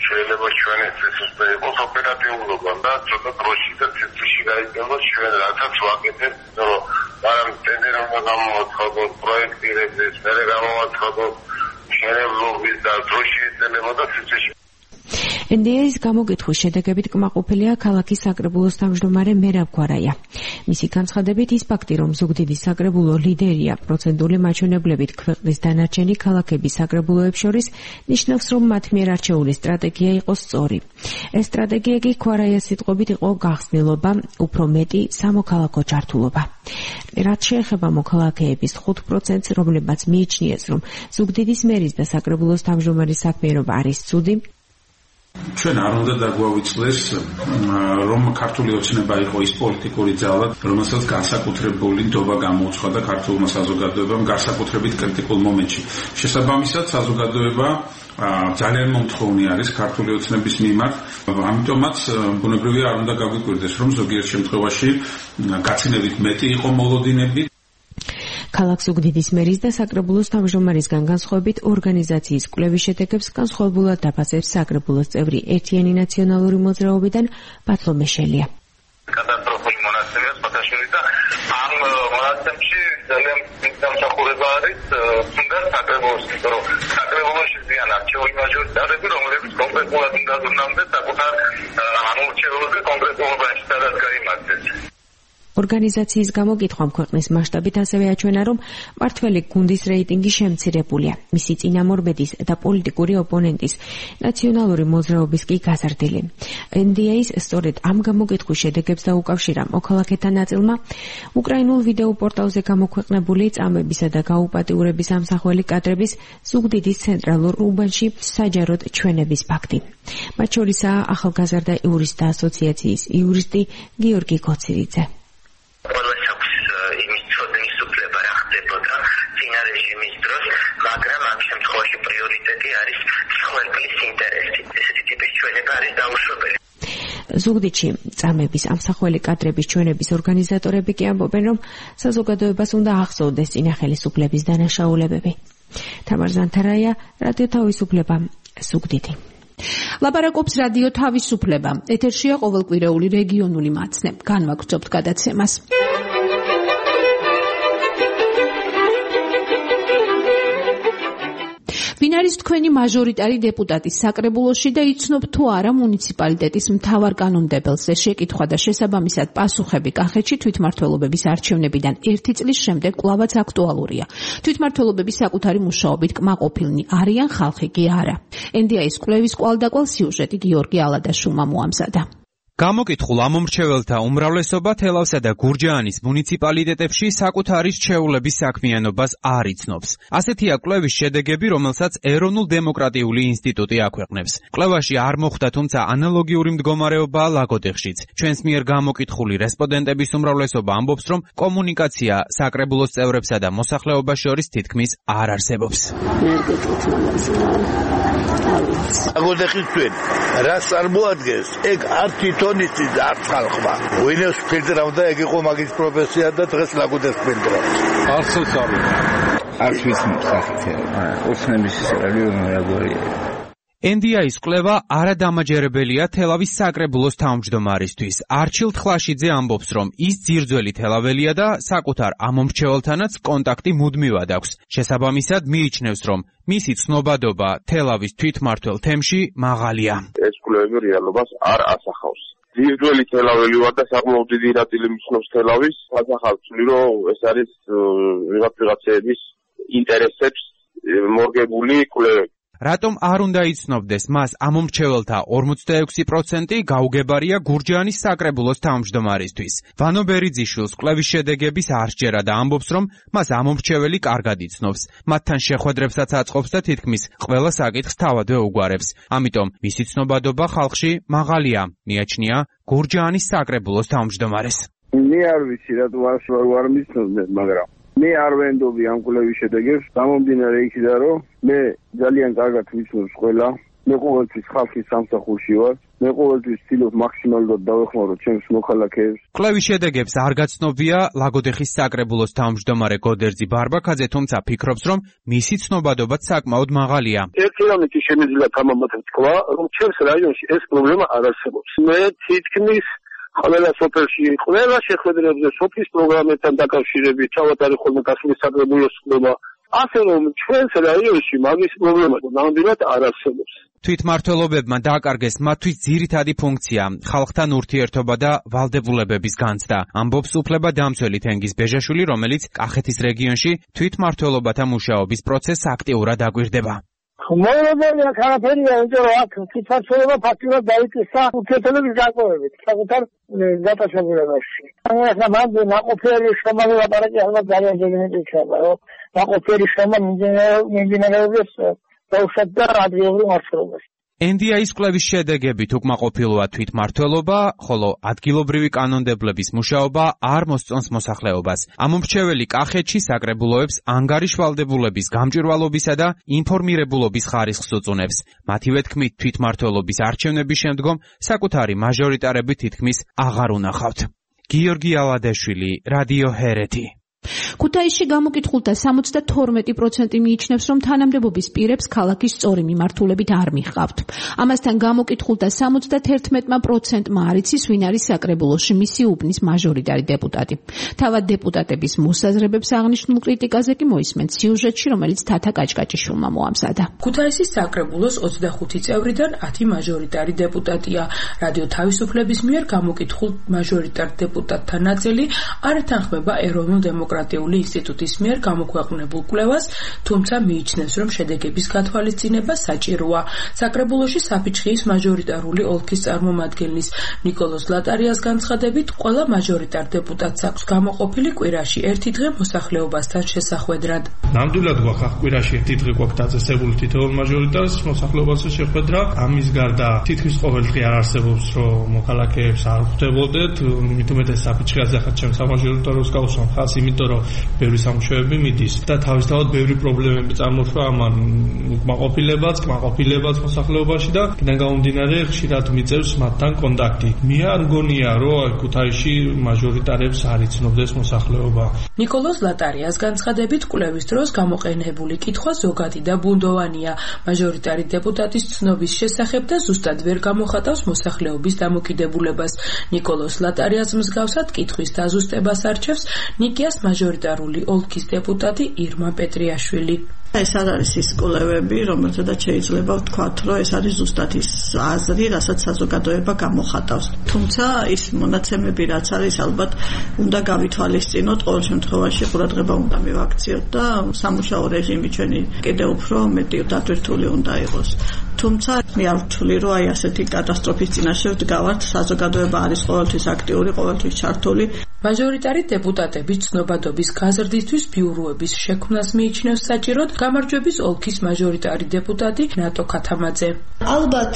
შეიძლება ჩვენი წესრიგი იყოს ოპერატიულობა და ცოტა დროში და ცეცხლში გაიგოს ჩვენ რასაც ვაკეთებთ, რომ მაგრამ ტენდერმა გამოაცხადოს პროექტირების, მერე გამოაცხადოს შენებლობის და დროში ეწენება და ცეცხლში ენ დი ეის გამოკითხვის შედეგებით კმაყოფილია ქალაქის საკრებულოს თავმჯდომარე მერაბ გვარაია. მისი განცხადებით, ის ფაქტი, რომ ზუგდიდის საკრებულო ლიდერია პროცენტული მაჩვენებლებით ქვეყნის დანარჩენი ქალაქების საკრებულოებს შორის, ნიშნავს, რომ მათ მიერ არჩეული სტრატეგია იყო სწორი. ეს სტრატეგია კი გვარაიას სიტყვებით იყო გახსნილობა, უფრო მეტი სამოქალაქო ჩართულობა. რაც შეეხება მოქალაქეების ხუთ პროცენტს, რომლებმაც მიიჩნიეს, რომ ზუგდიდის მერის და საკრებულოს თავმჯდომარის საქმიანობა არის ცუდი, ჩვენ არ უნდა დაგვავიწყდეს, რომ ქართული ოცნება იყო ის პოლიტიკური ძალა, რომელსაც განსაკუთრებული ნდობა გამოუცხადა ქართულმა საზოგადოებამ განსაკუთრებით კრიტიკულ მომენტში. შესაბამისად, საზოგადოება ძალიან მომთხოვნი არის ქართული ოცნების მიმართ, ამიტომაც ბუნებრივია არ უნდა გაგვიკვირდეს, რომ ზოგიერთ შემთხვევაში გაცინებით მეტი იყო მოლოდინები. ქალაქ ზუგდიდის მერის და საკრებულოს თავმჯდომარისგან განსხვავებით ორგანიზაციის კვლევის შედეგებს განსხვავებულად დაფასებს საკრებულოს წევრი ერთიანი ნაციონალური მოძრაობიდან ბათლომე შელია. კატასტროფული მონაცემია სპატაშური და ამ მონაცემში ძალიან დამსახურება არის თუნდაც საკრებულოს, რომ საკრებულოში ზიან არჩეული მაჟორიტარები, რომლებიც კონკრეტულად უნდა ზრუნავდნენ საკუთარ ამორჩეულზე კონკრეტულ უბანში, სადაც გაიმართეს. ორგანიზაციის გამოკითხვამ ქვეყნის მასშტაბით ასევე აჩვენა, რომ მართველი გუნდის რეიტინგი შემცირებულია. მისი წინამორბედის და პოლიტიკური ოპონენტის ნაციონალური მოძრაობის კი გაზრდილი. ენ დი ეის სწორედ ამ გამოკითხვის შედეგებს დაუკავშირა მოქალაქეთა ნაწილმა უკრაინულ ვიდეო პორტალზე გამოქვეყნებული წამებისა და გაუპატიურების ამსახველი კადრების ზუგდიდის ცენტრალურ უბანში საჯაროდ ჩვენების ფაქტი. მათ შორისაა ახალგაზრდა იურისტთა ასოციაციის იურისტი გიორგი კოცირიძე. ყველას აქვს იმის ცოდნის უფლება რა ხდებოდა წინა რეჟიმის დროს, მაგრამ ამ შემთხვევაში პრიორიტეტი არის მსხვერპლის ინტერესი. ესეთი ტიპის ჩვენება არის დაუშვებელი. ზუგდიდში წამების ამსახველი კადრების ჩვენების ორგანიზატორები კი ამბობენ, რომ საზოგადოებას უნდა ახსოვდეს წინა ხელისუფლების დანაშაულებები. თამარ ზანთარაია, რადიო თავისუფლება, ზუგდიდი. ლაპარაკობს რადიო თავისუფლება. ეთერშია ყოველკვირეული რეგიონული მაცნე. განვაგრძობთ გადაცემას. ვინ არის თქვენი მაჟორიტარი დეპუტატი საკრებულოში და იცნობ თუ არა მუნიციპალიტეტის მთავარ კანონმდებელზე? შეკითხვა და შესაბამისად პასუხები კახეთში თვითმმართველობების არჩევნებიდან ერთი წლის შემდეგ კვლავაც აქტუალურია. თვითმმართველობები საკუთარი მუშაობით კმაყოფილნი არიან, ხალხი კი არა. ენ დი ეის კვლევის კვალდაკვალ სიუჟეტი გიორგი ალადაშვილმა მოამზადა. გამოკითხულ ამომრჩეველთა უმრავლესობა თელავსა და გურჯაანის მუნიციპალიტეტებში საკუთარი რჩეულების საქმიანობას არ იცნობს. ასეთია კვლევის შედეგები, რომელსაც ეროვნულ დემოკრატიული ინსტიტუტი აქვეყნებს. კვლევაში არ მოხვდა, თუმცა ანალოგიური მდგომარეობაა ლაგოდეხშიც. ჩვენს მიერ გამოკითხული რესპონდენტების უმრავლესობა ამბობს, რომ კომუნიკაცია საკრებულოს წევრებსა და მოსახლეობას შორის თითქმის არ არსებობს. ლაგოდეხის თქვენ რას წარმოადგენს? ეგ არ თვითონიცი არც ხალხმა. ვინებს ფილტრავდა, ეგ იყო მაგის პროფესია და დღეს ლაგოდეხს ფილტრავს. არცოც არ არც ვიცნობ სახით. ოცნების რეგიონი როგორია. ენ დი ეის კვლევა არადამაჯერებელია თელავის საკრებულოს თავმჯდომარისთვის. არჩილ თხლაშიძე ამბობს, რომ ის ძირძველი თელაველია და საკუთარ ამომრჩეველთანაც კონტაქტი მუდმივად აქვს. შესაბამისად მიიჩნევს, რომ მისი ცნობადობა თელავის თვითმმართველ თემში მაღალია. ეს კვლევები რეალობას არ ასახავს. ძირძველი თელაველი ვარ და საკმაოდ დიდი ნაწილი მიცნობს თელავის. ასახავსნი, რომ ეს არის ვიღაც ვიღაცების ინტერესებს მორგებული კვლევები. რატომ არ უნდა იცნობდეს მას ამომრჩეველთა ორმოცდაექვსი პროცენტი გაუგებარია გურჯაანის საკრებულოს თავმჯდომარისთვის. ვანო ბერიძიშვილს კვლევის შედეგების არ სჯერა და ამბობს, რომ მას ამომრჩეველი კარგად იცნობს. მათთან შეხვედრებსაც აწყობს და თითქმის ყველა საკითხს თავადვე უგვარებს. ამიტომ მისი ცნობადობა ხალხში მაღალია, მიაჩნია გურჯაანის საკრებულოს თავმჯდომარეს. მე არ ვიცი რატომ არ ვარ მიცნობდნენ, მაგრამ მე არ ვენდობი ამ კვლევის შედეგებს, გამომდინარე იქიდან, რომ მე ძალიან კარგად ვიცნობ ყველა, მე ყოველთვის ხალხის სამსახურში ვარ, მე ყოველთვის ვცდილობ მაქსიმალურად დავეხმარო ჩემს მოქალაქეებს. კვლევის შედეგებს არ გაცნობია ლაგოდეხის საკრებულოს თავმჯდომარე გოდერძი ბარბაქაძე, თუმცა ფიქრობს, რომ მისი ცნობადობაც საკმაოდ მაღალია. ერთი რამითი შემიძლია გამომოთ თქვა, რომ ჩემს რაიონში ეს პრობლემა არ არსებობს. მე თითქმის ყველა სოფელში, ყველა შეხვედრებზე, სოფლის პროგრამებთან დაკავშირებით, თავად არის ხოლმე გასული საკრებულოს კვლევა. ასე რომ ჩვენს რაიონში მაგის პრობლემა ნამდვილად არ არსებობს. თვითმმართველობებმა დააკარგეს მათთვის ძირითადი ფუნქცია, ხალხთან ურთიერთობა და ვალდებულებების განცდა. ამბობს უფლებადამცველი თენგიზ ბეჟაშვილი, რომელიც კახეთის რეგიონში თვითმმართველობათა მუშაობის პროცესს აქტიურად აკვირდება. მოერებელია ქარაფერია, იმიტომ რომ აქ თვითმმართველობა ფაქტურად დაიკისრა ურთიერთობების განპოვებით, საკუთარ გატაცებულებაში. ახლა მან ნაყოფიერი შრომა ლაპარაკი ალბათ ძალიან ძეგნით იქნება, რომ ნაყოფიერი შრომა მიმდინარეობის დაუშვათ და ადგილობრივ მმართველობას. ენ დი ეის კვლევის შედეგებით უკმაყოფილოა თვითმმართველობა, ხოლო ადგილობრივი კანონმდებლების მუშაობა არ მოსწონს მოსახლეობას. ამომრჩეველი კახეთში საკრებულოებს ანგარიშვალდებულების გამჭვირვალობისა და ინფორმირებულობის ხარისხს უწუნებს. მათივე თქმით, თვითმმართველობის არჩევნების შემდგომ საკუთარი მაჟორიტარები თითქმის აღარ უნახავთ. გიორგი ალადაშვილი, რადიო ჰერეთი. ქუთაისში გამოკითხულთა სამოცდათორმეტი პროცენტი მიიჩნევს, რომ თანამდებობის პირებს ქალაქის სწორი მიმართულებით არ მიჰყავთ. ამასთან გამოკითხულთა სამოცდაერთმეტი პროცენტმა არ იცის, ვინ არის საკრებულოში მისი უბნის მაჟორიტარი დეპუტატი. თავად დეპუტატების მოსაზრებებს აღნიშნულ კრიტიკაზე კი მოისმენთ სიუჟეტში, რომელიც თათა კაჭკაჭიშვილმა მოამზადა. ქუთაისის საკრებულოს ოცდახუთი წევრიდან ათი მაჟორიტარი დეპუტატია. რადიო თავისუფლების მიერ გამოკითხულ მაჟორიტარ დეპუტატთა ნაწილი არ ეთანხმება ეროვნულ დემოკრატიული ინსტიტუტის მიერ გამოქვეყნებულ კვლევას, თუმცა მიიჩნევს, რომ შედეგების გათვალისწინება საჭიროა. საკრებულოში საფიჩხიის მაჟორიტარული ოლქის წარმომადგენლის ნიკოლოზ ლატარიას განცხადებით, ყველა მაჟორიტარ დეპუტატს აქვს გამოყოფილი კვირაში ერთი დღე მოსახლეობასთან შესახვედრად. ნამდვილად გვაქვს კვირაში ერთი დღე გვაქვს დაწესებული თითოეულ მაჟორიტარს მოსახლეობასთან შეხვედრა. ამის გარდა თითქმის ყოველ დღე არ არსებობს, რომ მოქალაქეებს არ ხვდებოდეთ, მით უმეტეს საფიჩხიაზე ახლა ჩემს სამაჟორიტაროს გავუსვამ ხას, იმიტომ რომ ბევრი სამუშაოები მიდის და თავისთავად ბევრი პრობლემები წარმოშვა ამან უკმაყოფილებაც, კმაყოფილებაც მოსახლეობაში და იქიდან გამომდინარე ხშირად მიწევს მათთან კონტაქტი. მე არ მგონია, რომ ქუთაისში მაჟორიტარებს არ იცნობდეს მოსახლეობა. ნიკოლოზ ლატარიას განცხადებით, კვლევის დროს გამოყენებული კითხვა ზოგადი და ბუნდოვანია. მაჟორიტარი დეპუტატის ცნობის შესახებ და ზუსტად ვერ გამოხატავს მოსახლეობის დამოკიდებულებას. ნიკოლოზ ლატარიას მსგავსად კითხვის დაზუსტებას არჩევს ნიკიას მაჟორიტარული ოლქის დეპუტატი ირმა პეტრიაშვილი. ეს არ არის ის კვლევები, რომელთაც შეიძლება ვთქვათ, რომ ეს არის ზუსტად ის აზრი, რასაც საზოგადოება გამოხატავს. თუმცა ის მონაცემები, რაც არის, ალბათ უნდა გავითვალისწინოთ, ყოველ შემთხვევაში ყურადღება უნდა მივაქციოთ და სამუშაო რეჟიმი ჩვენი კიდევ უფრო მეტი დატვირთული უნდა იყოს. თუმცა მე არ ვთვლი, რომ აი ასეთი კატასტროფის წინაშე ვდგავართ, საზოგადოება არის ყოველთვის აქტიური, ყოველთვის ჩართული. მაჟორიტარი დეპუტატების ცნობადობის გაზრდისთვის ბიუროების შექმნას მიიჩნევს საჭიროდ გამარჯვების ოლქის მაჟორიტარი დეპუტატი ნატო ქათამაძე. ალბათ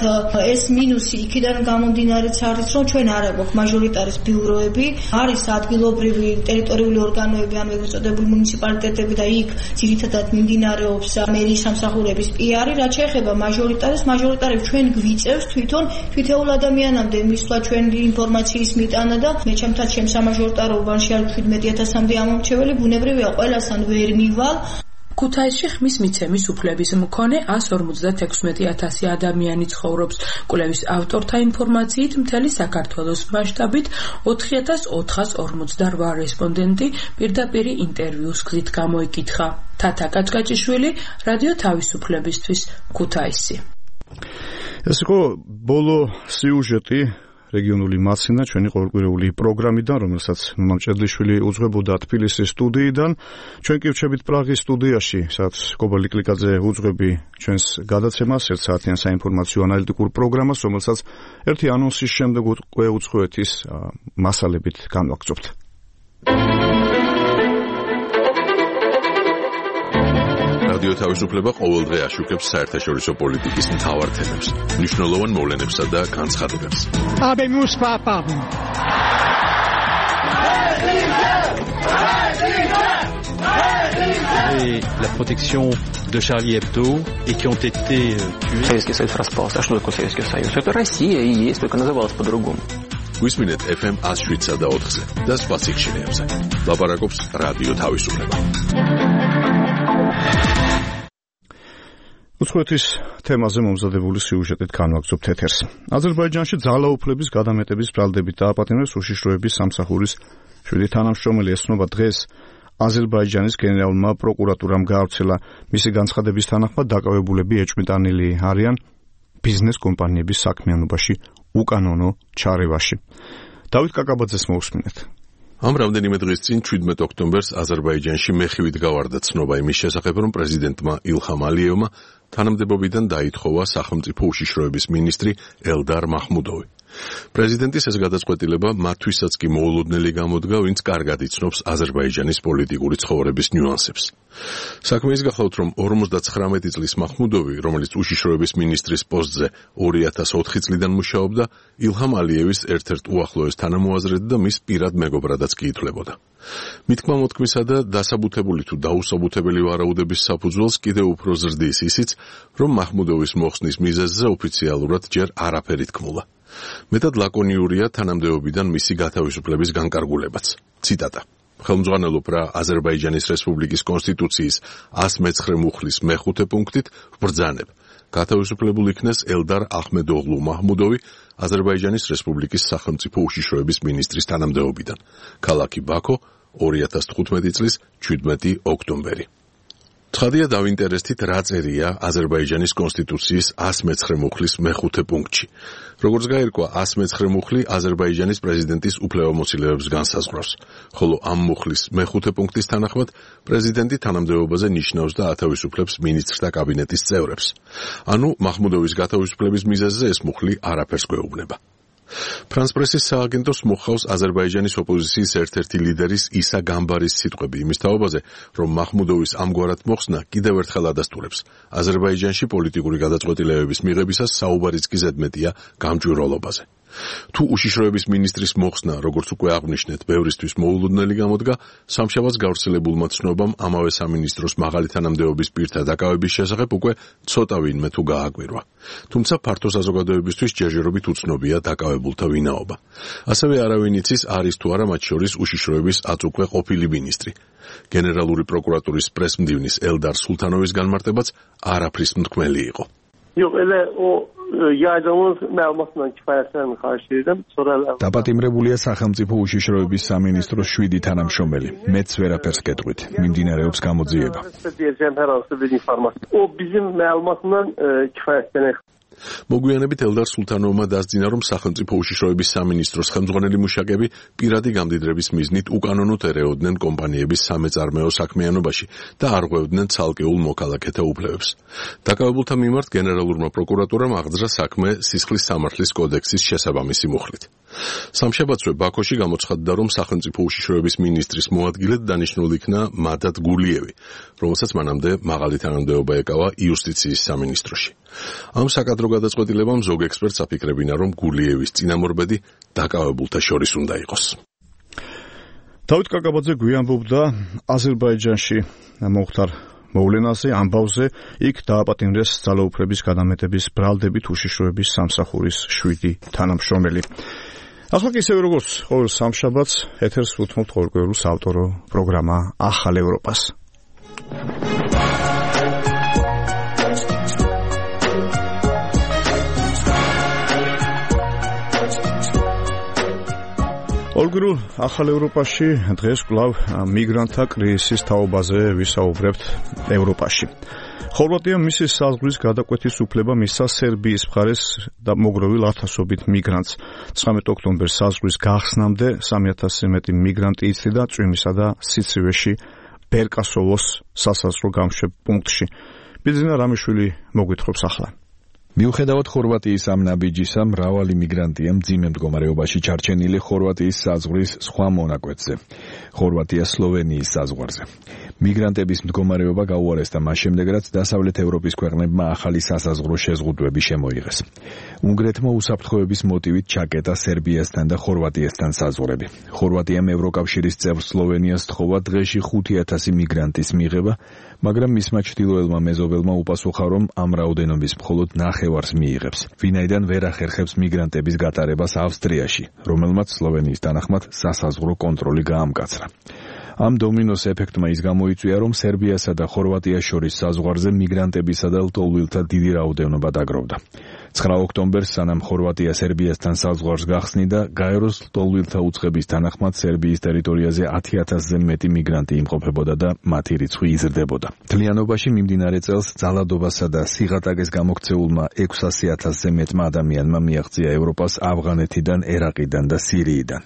ეს მინუსი იქიდან გამომდინარეც არის, რომ ჩვენ არ აგვაქვს მაჟორიტარის ბიუროები, არის ადგილობრივი ტერიტორიული ორგანოები, ანუ ეგრეთ წოდებული მუნიციპალიტეტები და იქ ძირითადად მიმდინარეობს მერიის სამსახურების პიარი, რაც შეეხება მაჟორიტარს, მაჟორიტარებს ჩვენ გვიწევს თვითონ თითოეულ ადამიანამდე მისვლა ჩვენი ინფორმაციის მიტანა და მე ჩემთან ჩემს სამაჟორიტარობაში არის შვიდმეტი ათასამდე ამომრჩეველი, ბუნებრივია ყველასთან ვერ მივალ. ქუთაისში ხმის მიცემის უფლების მქონე ასი ორმოცდათექვსმეტი ათასი ადამიანი ცხოვრობს. კვლევის ავტორთა ინფორმაციით მთელი საქართველოს მასშტაბით ოთხი ათას ოთხას ორმოცდარვა რესპონდენტი პირდაპირი ინტერვიუს გზით გამოიკითხა. თათა კაჭკაჭიშვილი, რადიო თავისუფლებისთვის, ქუთაისი. ეს იყო ბოლო სიუჟეტი რეგიონული მაცინა ჩვენი ყოველკვირეული პროგრამიდან, რომელსაც მამჭედლიშვილი უძღვებოდა თბილისის სტუდიიდან. ჩვენ კი ვჩებით პრაღის სტუდიაში, სადაც კობალი კლიკაძე უძღვები ჩვენს გადაცემას, ერთ საათიან საინფორმაციო ანალიტიკურ პროგრამას, რომელსაც ერთი ანონსის შემდეგ უკვე უძღვეთ ის მასალებით განვაგრძობთ. რადიო თავისუფლება ყოველდღე აშუქებს საერთაშორისო პოლიტიკის მთავარ თემებს, მნიშვნელოვან მოვლენებსა და განცხადებებს. Habemus papam. Et la protection de Charlie Hebdo et qui ont été tués. Советский Союз распался. А что такое Советский Союз? Это Россия и есть, только называлась по-другому. Висминет эф эм one oh seven და ოთხზე და სხვა სიხშირეებზე. ლაპარაკობს რადიო თავისუფლება. უცხოეთის თემაზე მომზადებული სიუჟეტით განვაგრძობთ ეთერს. აზერბაიჯანში ძალაუფლების გადამეტების ბრალდებით დააპატიმრეს უშიშროების სამსახურის შვიდი თანამშრომელი. ესწრება დღეს აზერბაიჯანის გენერალურმა პროკურატურამ გაავრცელა. მისი განცხადების თანახმად დაკავებულები ეჭვმიტანილი არიან ბიზნეს კომპანიების საქმიანობაში უკანონო ჩარევაში. დავით კაკაბაძეს მოусმინეთ. ამ რამდენიმე დღის წინ შვიდმეტი ოქტომბერს აზერბაიჯანში მეხივით გავარდა ცნობა იმის შესახებ, რომ პრეზიდენტმა ილჰამ ალიევმა თანამდებობიდან დაითხოვა სახელმწიფო უშიშროების მინისტრი ელდარ მაჰმუდოვი. პრეზიდენტის ეს გადაწყვეტილება მათთვისაც კი მოულოდნელი გამოდგა, ვინც კარგად იცნობს აზერბაიჯანის პოლიტიკური ცხოვრების ნიუანსებს. საქმე ის გახლავთ, რომ ორმოცდათხრამეტი წლის მაჰმუდოვი, რომელიც უშიშროების მინისტრის პოსტზე ორი ათას ოთხი წლიდან მუშაობდა, ილჰამ ალიევის ერთ-ერთ უახლოეს თანამოაზრედ და მის პირად მეგობრადაც კი ითვლებოდა. მითქმა მოთქმისა და დასაბუთებული თუ დაუსაბუთებელი ვარაუდების საფუძველს კიდევ უფრო ზრდის ისიც, რომ მაჰმუდოვის მოხსნის მიზეზზე ოფიციალურად ჯერ არაფერი თქმულა. მეტად ლაკონიურია თანამდებობიდან მისი გათავისუფლების განკარგულებაც. ციტატა. ხელმძღვანელობ რა აზერბაიჯანის რესპუბლიკის კონსტიტუციის ას მეცხრე მუხლის მეხუთე პუნქტით ვბრძანებ. გათავისუფლებულ იქნეს ელდარ ახმედოღლუ მაჰმუდოვი აზერბაიჯანის რესპუბლიკის სახელმწიფო უშიშროების მინისტრის თანამდებობიდან. ქალაქი ბაქო ორი ათას თხუთმეტი წლის ჩვიდმეტი ოქტომბერი. ცხადია დავინტერესდით რა წერია აზერბაიჯანის კონსტიტუციის ას მეცხრე მუხლის მეხუთე პუნქტში. როგორც გაირკვა, ას მეცხრე მუხლი აზერბაიჯანის პრეზიდენტის უფლებამოსილებას განსაზღვრავს, ხოლო ამ მუხლის მეხუთე პუნქტის თანახმად პრეზიდენტი თანამდებობაზე ნიშნავს და ათავისუფლებს მინისტრთა კაბინეტის წევრებს. ანუ მაჰმუდოვის გათავისუფლების მიზეზზე ეს მუხლი არაფერს გვეუბნება. ფრანს პრესის სააგენტოს მოხავს აზერბაიჯანის ოპოზიციის ერთ-ერთი ლიდერის ისა გამბარის სიტყვები იმის თაობაზე, რომ მაჰმუდოვის ამგვარად მოხსნა კიდევ ერთხელ ადასტურებს აზერბაიჯანში პოლიტიკური გადაწყვეტილებების მიღებისას საუბარიც კი ზედმეტია გამჭვირვალობაზე. თუ უშიშროების მინისტრის მოხსნა, როგორც უკვე აღვნიშნეთ, ბევრისთვის მოულოდნელი გამოდგა, სამშაბათს გავრცელებულმა ცნობამ ამავე სამინისტროს მაღალი თანამდებობის პირთა დაკავების შესახებ უკვე ცოტა ვინმე თუ გააკვირვა. თუმცა ფართო საზოგადოებისთვის ჯერჯერობით უცნობია დაკავებულთა ვინაობა. ასევე არავინ იცის არის თუ არა მათ შორის უშიშროების აწუკვე ყოფილი მინისტრი. გენერალური პროკურატურის პრესმდივნის ელდარ სულთანოვის განმარტებაც არაფრის მთქმელი იყო. Yox, elə o yaydığımız məlumatla kifayətlənmir xahiş edirəm. Sonra დაპატიმრებულია სახელმწიფო უშიშროების სამინისტროს შვიდი თანამშრომელი. მეც ვერაფერს გეტყვით. მიმდინარეობს გამოძიება. deyəcəm hər hansı bir informasiya. O bizim məlumatla kifayətlənir. მოგვიანებით ელდარ სულთანოვმა დასძინა, რომ სახელმწიფო უშიშროების სამინისტროს ხელმძღვანელი მუშაკები პირადი გამდიდრების მიზნით უკანონოდ ერეოდნენ კომპანიების სამეწარმეო საქმიანობაში და არ ღვევდნენ ცალკეულ მოქალაქეთა უფლებებს. დაკავებულთა მიმართ გენერალურმა პროკურატურამ აღძრა საქმე სისხლის სამართლის კოდექსის შესაბამისი მუხლით. სამშაბათსვე ბაქოში გამოცხადდა, რომ სახელმწიფო უშიშროების მინისტრის მოადგილედ დანიშნულ იქნა მადად გულიევი, რომელსაც მანამდე მაღალი თანამდებობა ეკავა იუსტიციის სამინისტროში. ამ საკადრო გადაწყვეტილებამ ზოგ ექსპერტს აფიქრებინა, რომ გულიევის წინამორბედი დაკავებულთა შორის უნდა იყოს. დავით კაკაბაძე გვიანბობდა აზერბაიჯანში მოხდარ მოვლენაზე, ამბავზე, იქ დააპატიმრეს ძალაუფლების გადამეტების ბრალდებით უშიშროების სამსახურის შვიდი თანამშრომელი. ახლა კი ისევე როგორც ყოველ სამშაბათს ეთერს უთმობთ ყოველკვირეულ საავტორო პროგრამა ახალ ევროპას. ყოველკვირეულ ახალ ევროპაში დღეს კვლავ მიგრანტთა კრიზისის თაობაზე ვისაუბრებთ ევროპაში. ხორვატიამ მისი საზღვრის გადაკვეთის უფლება მისცა სერბიის მხარეს და მოგროვილ ათასობით მიგრანტს. ცხრამეტი ოქტომბერს საზღვრის გახსნამდე სამი ათასზე მეტი მიგრანტი იცლიდა წვიმისა და სიცივეში ბერკასოვოს სასაზღვრო გამშვებ პუნქტში. ბიძინა რამიშვილი მოგვითხრობს ახლა. მიუხედავად ხორვატიის ამ ნაბიჯისა, მრავალი მიგრანტია მძიმე მდგომარეობაში ჩარჩენილი ხორვატიის საზღვრის სხვა მონაკვეთზე, ხორვატია-სლოვენიის საზღვარზე. მიგრანტების მდგომარეობა გაუარესდა მას შემდეგ, რაც დასავლეთ ევროპის ქვეყნებმა ახალი სასაზღვრო შეზღუდვები შემოიღეს. უნგრეთმა უსაფრთხოების მოტივით ჩაკეტა სერბიასთან და ხორვატიასთან საზღვრები. ხორვატიამ ევროკავშირის წევრ სლოვენიას თხოვა დღეში ხუთი ათასი მიგრანტის მიღება, მაგრამ მისმა ჩრდილოელმა მეზობელმა უპასუხა, რომ ამ რაოდენობის მხოლოდ ნახევარს მიიღებს, ვინაიდან ვერ ახერხებს მიგრანტების გატარებას ავსტრიაში, რომელმაც სლოვენიის თანახმად სასაზღვრო კონტროლი გაამკაცრა. ამ დომინოს ეფექტმა ის გამოიწვია, რომ სერბიასა და ხორვატიას შორის საზღვარზე მიგრანტებისა და ლტოლვილთა დიდი რაოდენობა დაგროვდა. ცხრა ოქტომბერს სანამ ხორვატია სერბიასთან საზღვარს გახსნიდა, გაეროს ლტოლვილთა უწყების თანახმად სერბიის ტერიტორიაზე ათი ათასზე მეტი მიგრანტი იმყოფებოდა და მათი რიცხვი იზრდებოდა. მთლიანობაში მიმდინარე წელს ძალადობასა და სიღატაკეს გამოქცეულმა ექვსასი ათასზე მეტმა ადამიანმა მიაღწია ევროპას ავღანეთიდან, ერაყიდან და სირიიდან.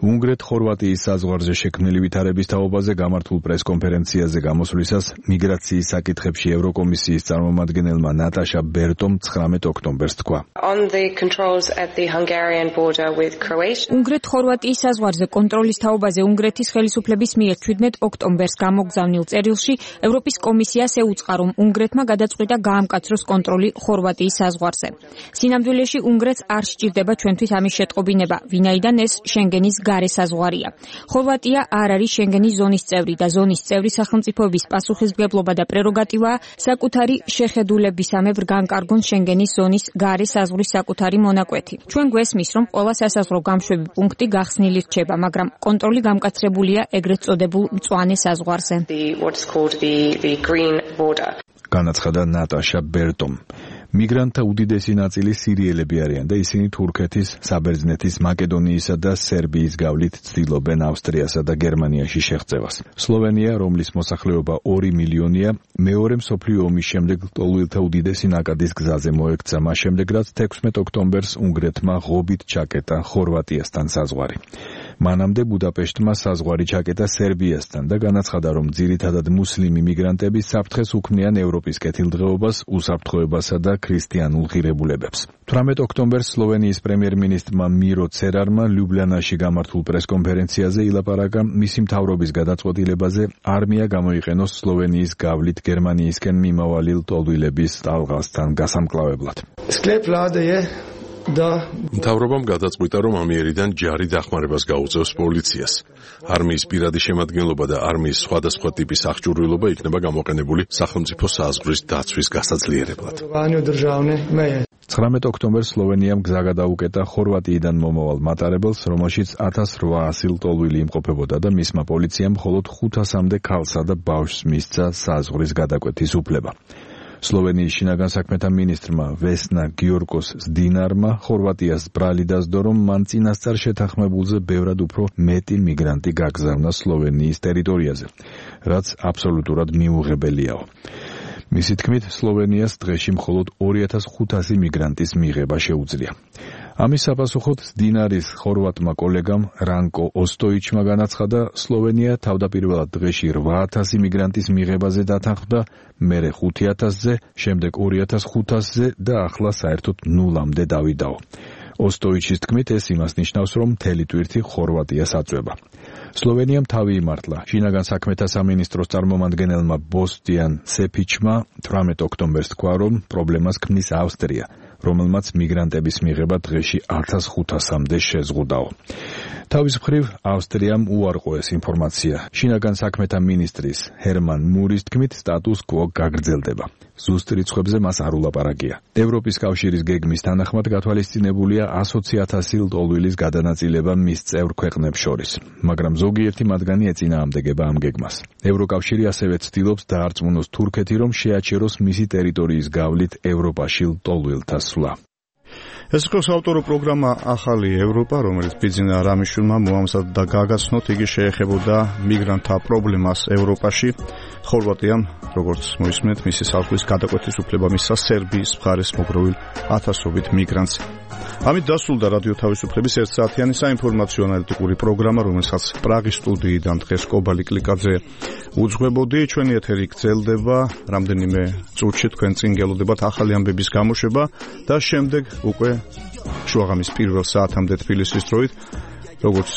უნგრეთ-ხორვატიის საზღვარზე შექმნილი ვითარების თაობაზე გამართულ პრესკონფერენციაზე გამოსვლისას მიგრაციის საკითხებში ევროკომისიის წარმომადგენელმა ნატაშა ბერტომ ცხრამეტი ოქტომბერს თქვა. უნგრეთ-ხორვატიის საზღვარზე კონტროლის თაობაზე უნგრეთის ხელისუფლების მიერ ჩვიდმეტი ოქტომბერს გამოგზავნილ წერილში ევროპის კომისიას ეუწყა, რომ უნგრეთმა გადაწყვიტა გაამკაცროს კონტროლი ხორვატიის საზღვარზე. სინამდვილეში უნგრეთს არ სჭირდება ჩვენთვის ამის შეტყობინება, ვინაიდან ეს შენგენის გარესაზღვარია. ხორვატია არ არის შენგენის ზონის წევრი და ზონის წევრი სახელმწიფოების პასუხისმგებლობა და პრეროგატივაა საკუთარი შეხედულებისამებრ განკარგონ შენგენის ზონის გარესაზღვრის საკუთარი მონაკვეთი. ჩვენ გვესმის, რომ ყველა სასაზღვრო გამშვები პუნქტი გახსნილი რჩება, მაგრამ კონტროლი გამკაცრებულია ეგრეთ წოდებულ მწვანე საზღვარზე. განაცხადა ნატაშა ბერტომ. მიგრანტთა უდიდესი ნაწილი სირიელები არიან და ისინი თურქეთის, საბერძნეთის, მაკედონიისა და სერბიის გავლით ცდილობენ ავსტრიასა და გერმანიაში შეღწევას. სლოვენია, რომლის მოსახლეობა ორი მილიონია, მეორე მსოფლიო ომის შემდეგ ლტოლვილთა უდიდესი ნაკადის გზაზე მოექცა, მას შემდეგ რაც თექვსმეტ ოქტომბერს უნგრეთმა ღობით ჩაკეტა ხორვატიასთან საზღვარი. მანამდე ბუდაპეშტმა საზღვარი ჩაკეტა სერბიასთან და განაცხადა, რომ ძირითადად მუსლიმი მიგრანტები საფრთხეს უქმნიან ევროპის კეთილდღეობას, უსაფრთხოებასა და ქრისტიანულ ღირებულებებს. თვრამეტ ოქტომბერს სლოვენიის პრემიერ-მინისტრმა მირო ცერარმა ლიუბლიანაში გამართულ პრესკონფერენციაზე ილაპარაკა მისი მთავრობის გადაწყვეტილებაზე არმია გამოიყენოს სლოვენიის გავლით გერმანიისკენ მიმავალი ლტოლვილების ტალღასთან გასამკლავებლად. მთავრობამ გადაწყვიტა, რომ ამიერიდან ჯარი დახმარებას გაუწევს პოლიციას. არმიის პირადი შემადგენლობა და არმიის სხვადასხვა ტიპის აღჭურვილობა იქნება გამოყენებული სახელმწიფო საზღვრის დაცვის გასაძლიერებლად. ცხრამეტ ოქტომბერს სლოვენიამ გზა გადაუკეტა ხორვატიიდან მომავალ მატარებელს, რომელშიც ათას რვაასი ლტოლვილი იმყოფებოდა და მისმა პოლიციამ მხოლოდ ხუთასამდე ქალსა და ბავშვს მისცა საზღვრის გადაკვეთის უფლება. სლოვენიის შინაგან საქმეთა მინისტრმა ვესნა გიორგოს ზდინარმა ხორვატიას ბრალი დასდო, რომ მან წინასწარ შეთანხმებულზე ბევრად უფრო მეტი მიგრანტი გაგზავნა სლოვენიის ტერიტორიაზე, რაც აბსოლუტურად მიუღებელიაო. მისი თქმით, სლოვენიას დღეში მხოლოდ ორი ათას ხუთასი მიგრანტის მიღება შეუძლია. ამის საპასუხოდ დინარის ხორვატმა კოლეგამ რანკო ოსტოიჩმა განაცხადა, სლოვენია თავდაპირველად დღეში რვა ათასი მიგრანტის მიღებაზე დათანხმდა, მერე ხუთი ათასზე, შემდეგ ორი ათას ხუთასზე და ახლა საერთოდ ნულამდე დავიდაო. ოსტოიჩის თქმით, ეს იმას ნიშნავს, რომ მთელი ტვირთი ხორვატიას აწვება. სლოვენიამ თავი იმართლა. შინაგან საქმეთა სამინისტროს წარმომადგენელმა ბოსტიან სეფიჩმა თვრამეტ ოქტომბერს თქვა, რომ პრობლემას ქმნის ავსტრია, რომელმაც მიგრანტების მიღება დღეში ათას ხუთასამდე შეზღუდაო. თავის მხრივ ავსტრიამ უარყო ეს ინფორმაცია. შინაგან საქმეთა მინისტრის ჰერმან მურის თქმით, სტატუს კვო გაგრძელდება. ზუსტ რიცხვებზე მას არ ულაპარაკია. ევროპის კავშირის გეგმის თანახმად გათვალისწინებულია ასოცი ათასი ლტოლვილის გადანაწილება მის წევრ ქვეყნებს შორის, მაგრამ ზოგიერთი მათგანი ეწინააღმდეგება ამ გეგმას. ევროკავშირი ასევე ცდილობს დაარწმუნოს თურქეთი, რომ შეაჩეროს მისი ტერიტორიის გავლით ევროპაში ლტოლვილთა სვლა. ეს იყო საავტორო პროგრამა ახალი ევროპა, რომელიც ბიძინა რამიშვილმა მოამზადა და გაგაცნოთ. იგი შეეხებოდა მიგრანტთა პრობლემას ევროპაში. ხორვატიამ, როგორც მოისმენთ, მისი საზღვრის გადაკვეთის უფლება მისცა სერბიის მხარეს მოგროვილ ათასობით მიგრანტს. ამით დასრულდა რადიო თავისუფლების ერთ საათიანი საინფორმაციო ანალიტიკური პროგრამა, რომელსაც პრაღის სტუდიიდან დღეს კობალი კლიკაძე უძღვებოდი. ჩვენი ეთერი გრძელდება, რამდენიმე წუთში თქვენ წინ გელოდებათ ახალი ამბების გამოშვება და შემდეგ უკვე შუაღამის პირველ საათამდე თბილისის დროით, როგორც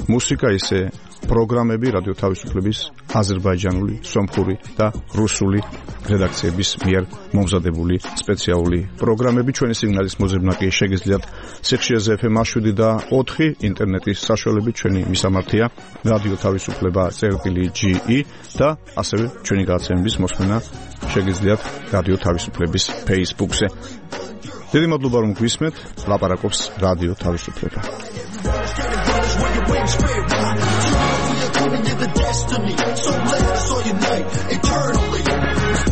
მუსიკა, ისე პროგრამები რადიო თავისუფლების აზერბაიჯანული, სომხური და რუსული რედაქციების მიერ მომზადებული სპეციალური პროგრამები. ჩვენი სიგნალის მოძებნა კი შეგიძლიათ სიხშირეზე ეფ ემ შვიდი და ოთხი, ინტერნეტის საშუალებით ჩვენი მისამართია რადიო თავისუფლება წერტილი ჯი ი და ასევე ჩვენი გადაცემების მოსმენა შეგიძლიათ რადიო თავისუფლების ფეისბუქზე. დიდი მადლობა, რომ გვისმენთ. ლაპარაკობს რადიო თავისუფლება.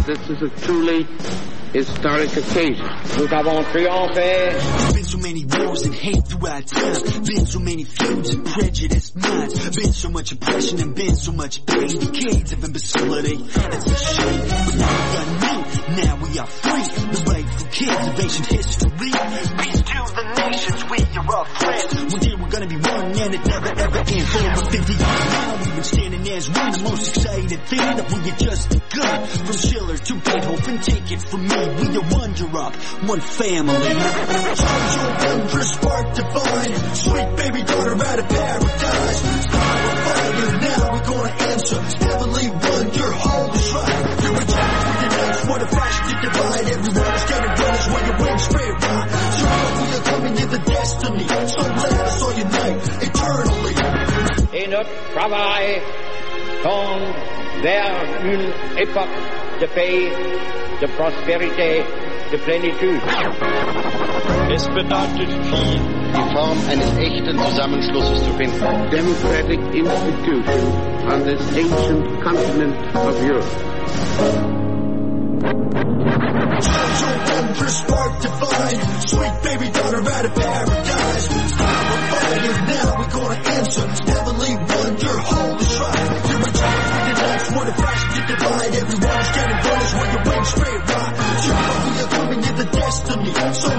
This is a truly historic occasion. Nous avons triomphé. Been so many wars and hate throughout time. Been so many feuds and prejudiced minds. Been so much oppression and been so much pain. Decades of imbecility. It's a shame, but now we are new. Now we are free. The rightful kids of ancient history. Peace to the nations. We are all friends. One day we're gonna be one, and it never ever ends. For over fifty years now, we've been standing as one. The most excited thing that we had just begun. From Schiller to Beethoven, take it from me. We are one Europe, one family. Charge your wondrous spark divine. Sweet baby daughter out of paradise. Fire, fire, now we're gonna answer. Heavenly one, your home is right. You're a child for your nights. What a flash to divide. Everyone's getting runners when your wings spread wide. Sure, we are coming to the destiny. So let us all unite eternally. notre travail tendent vers une époque de paix, de prospérité, de plénitude. Es bedeutet viel, die Form eines echten Zusammenschlusses zu finden. Democratic institution on this ancient continent of Europe. Spark divine, sweet baby daughter out of paradise. Start a fire, now we're gonna answer. Heavenly wonder, hold the shrine. You're in charge with your life, what a flash you divide. Everyone's getting punished when you win straight right. You know you're coming in the destiny. So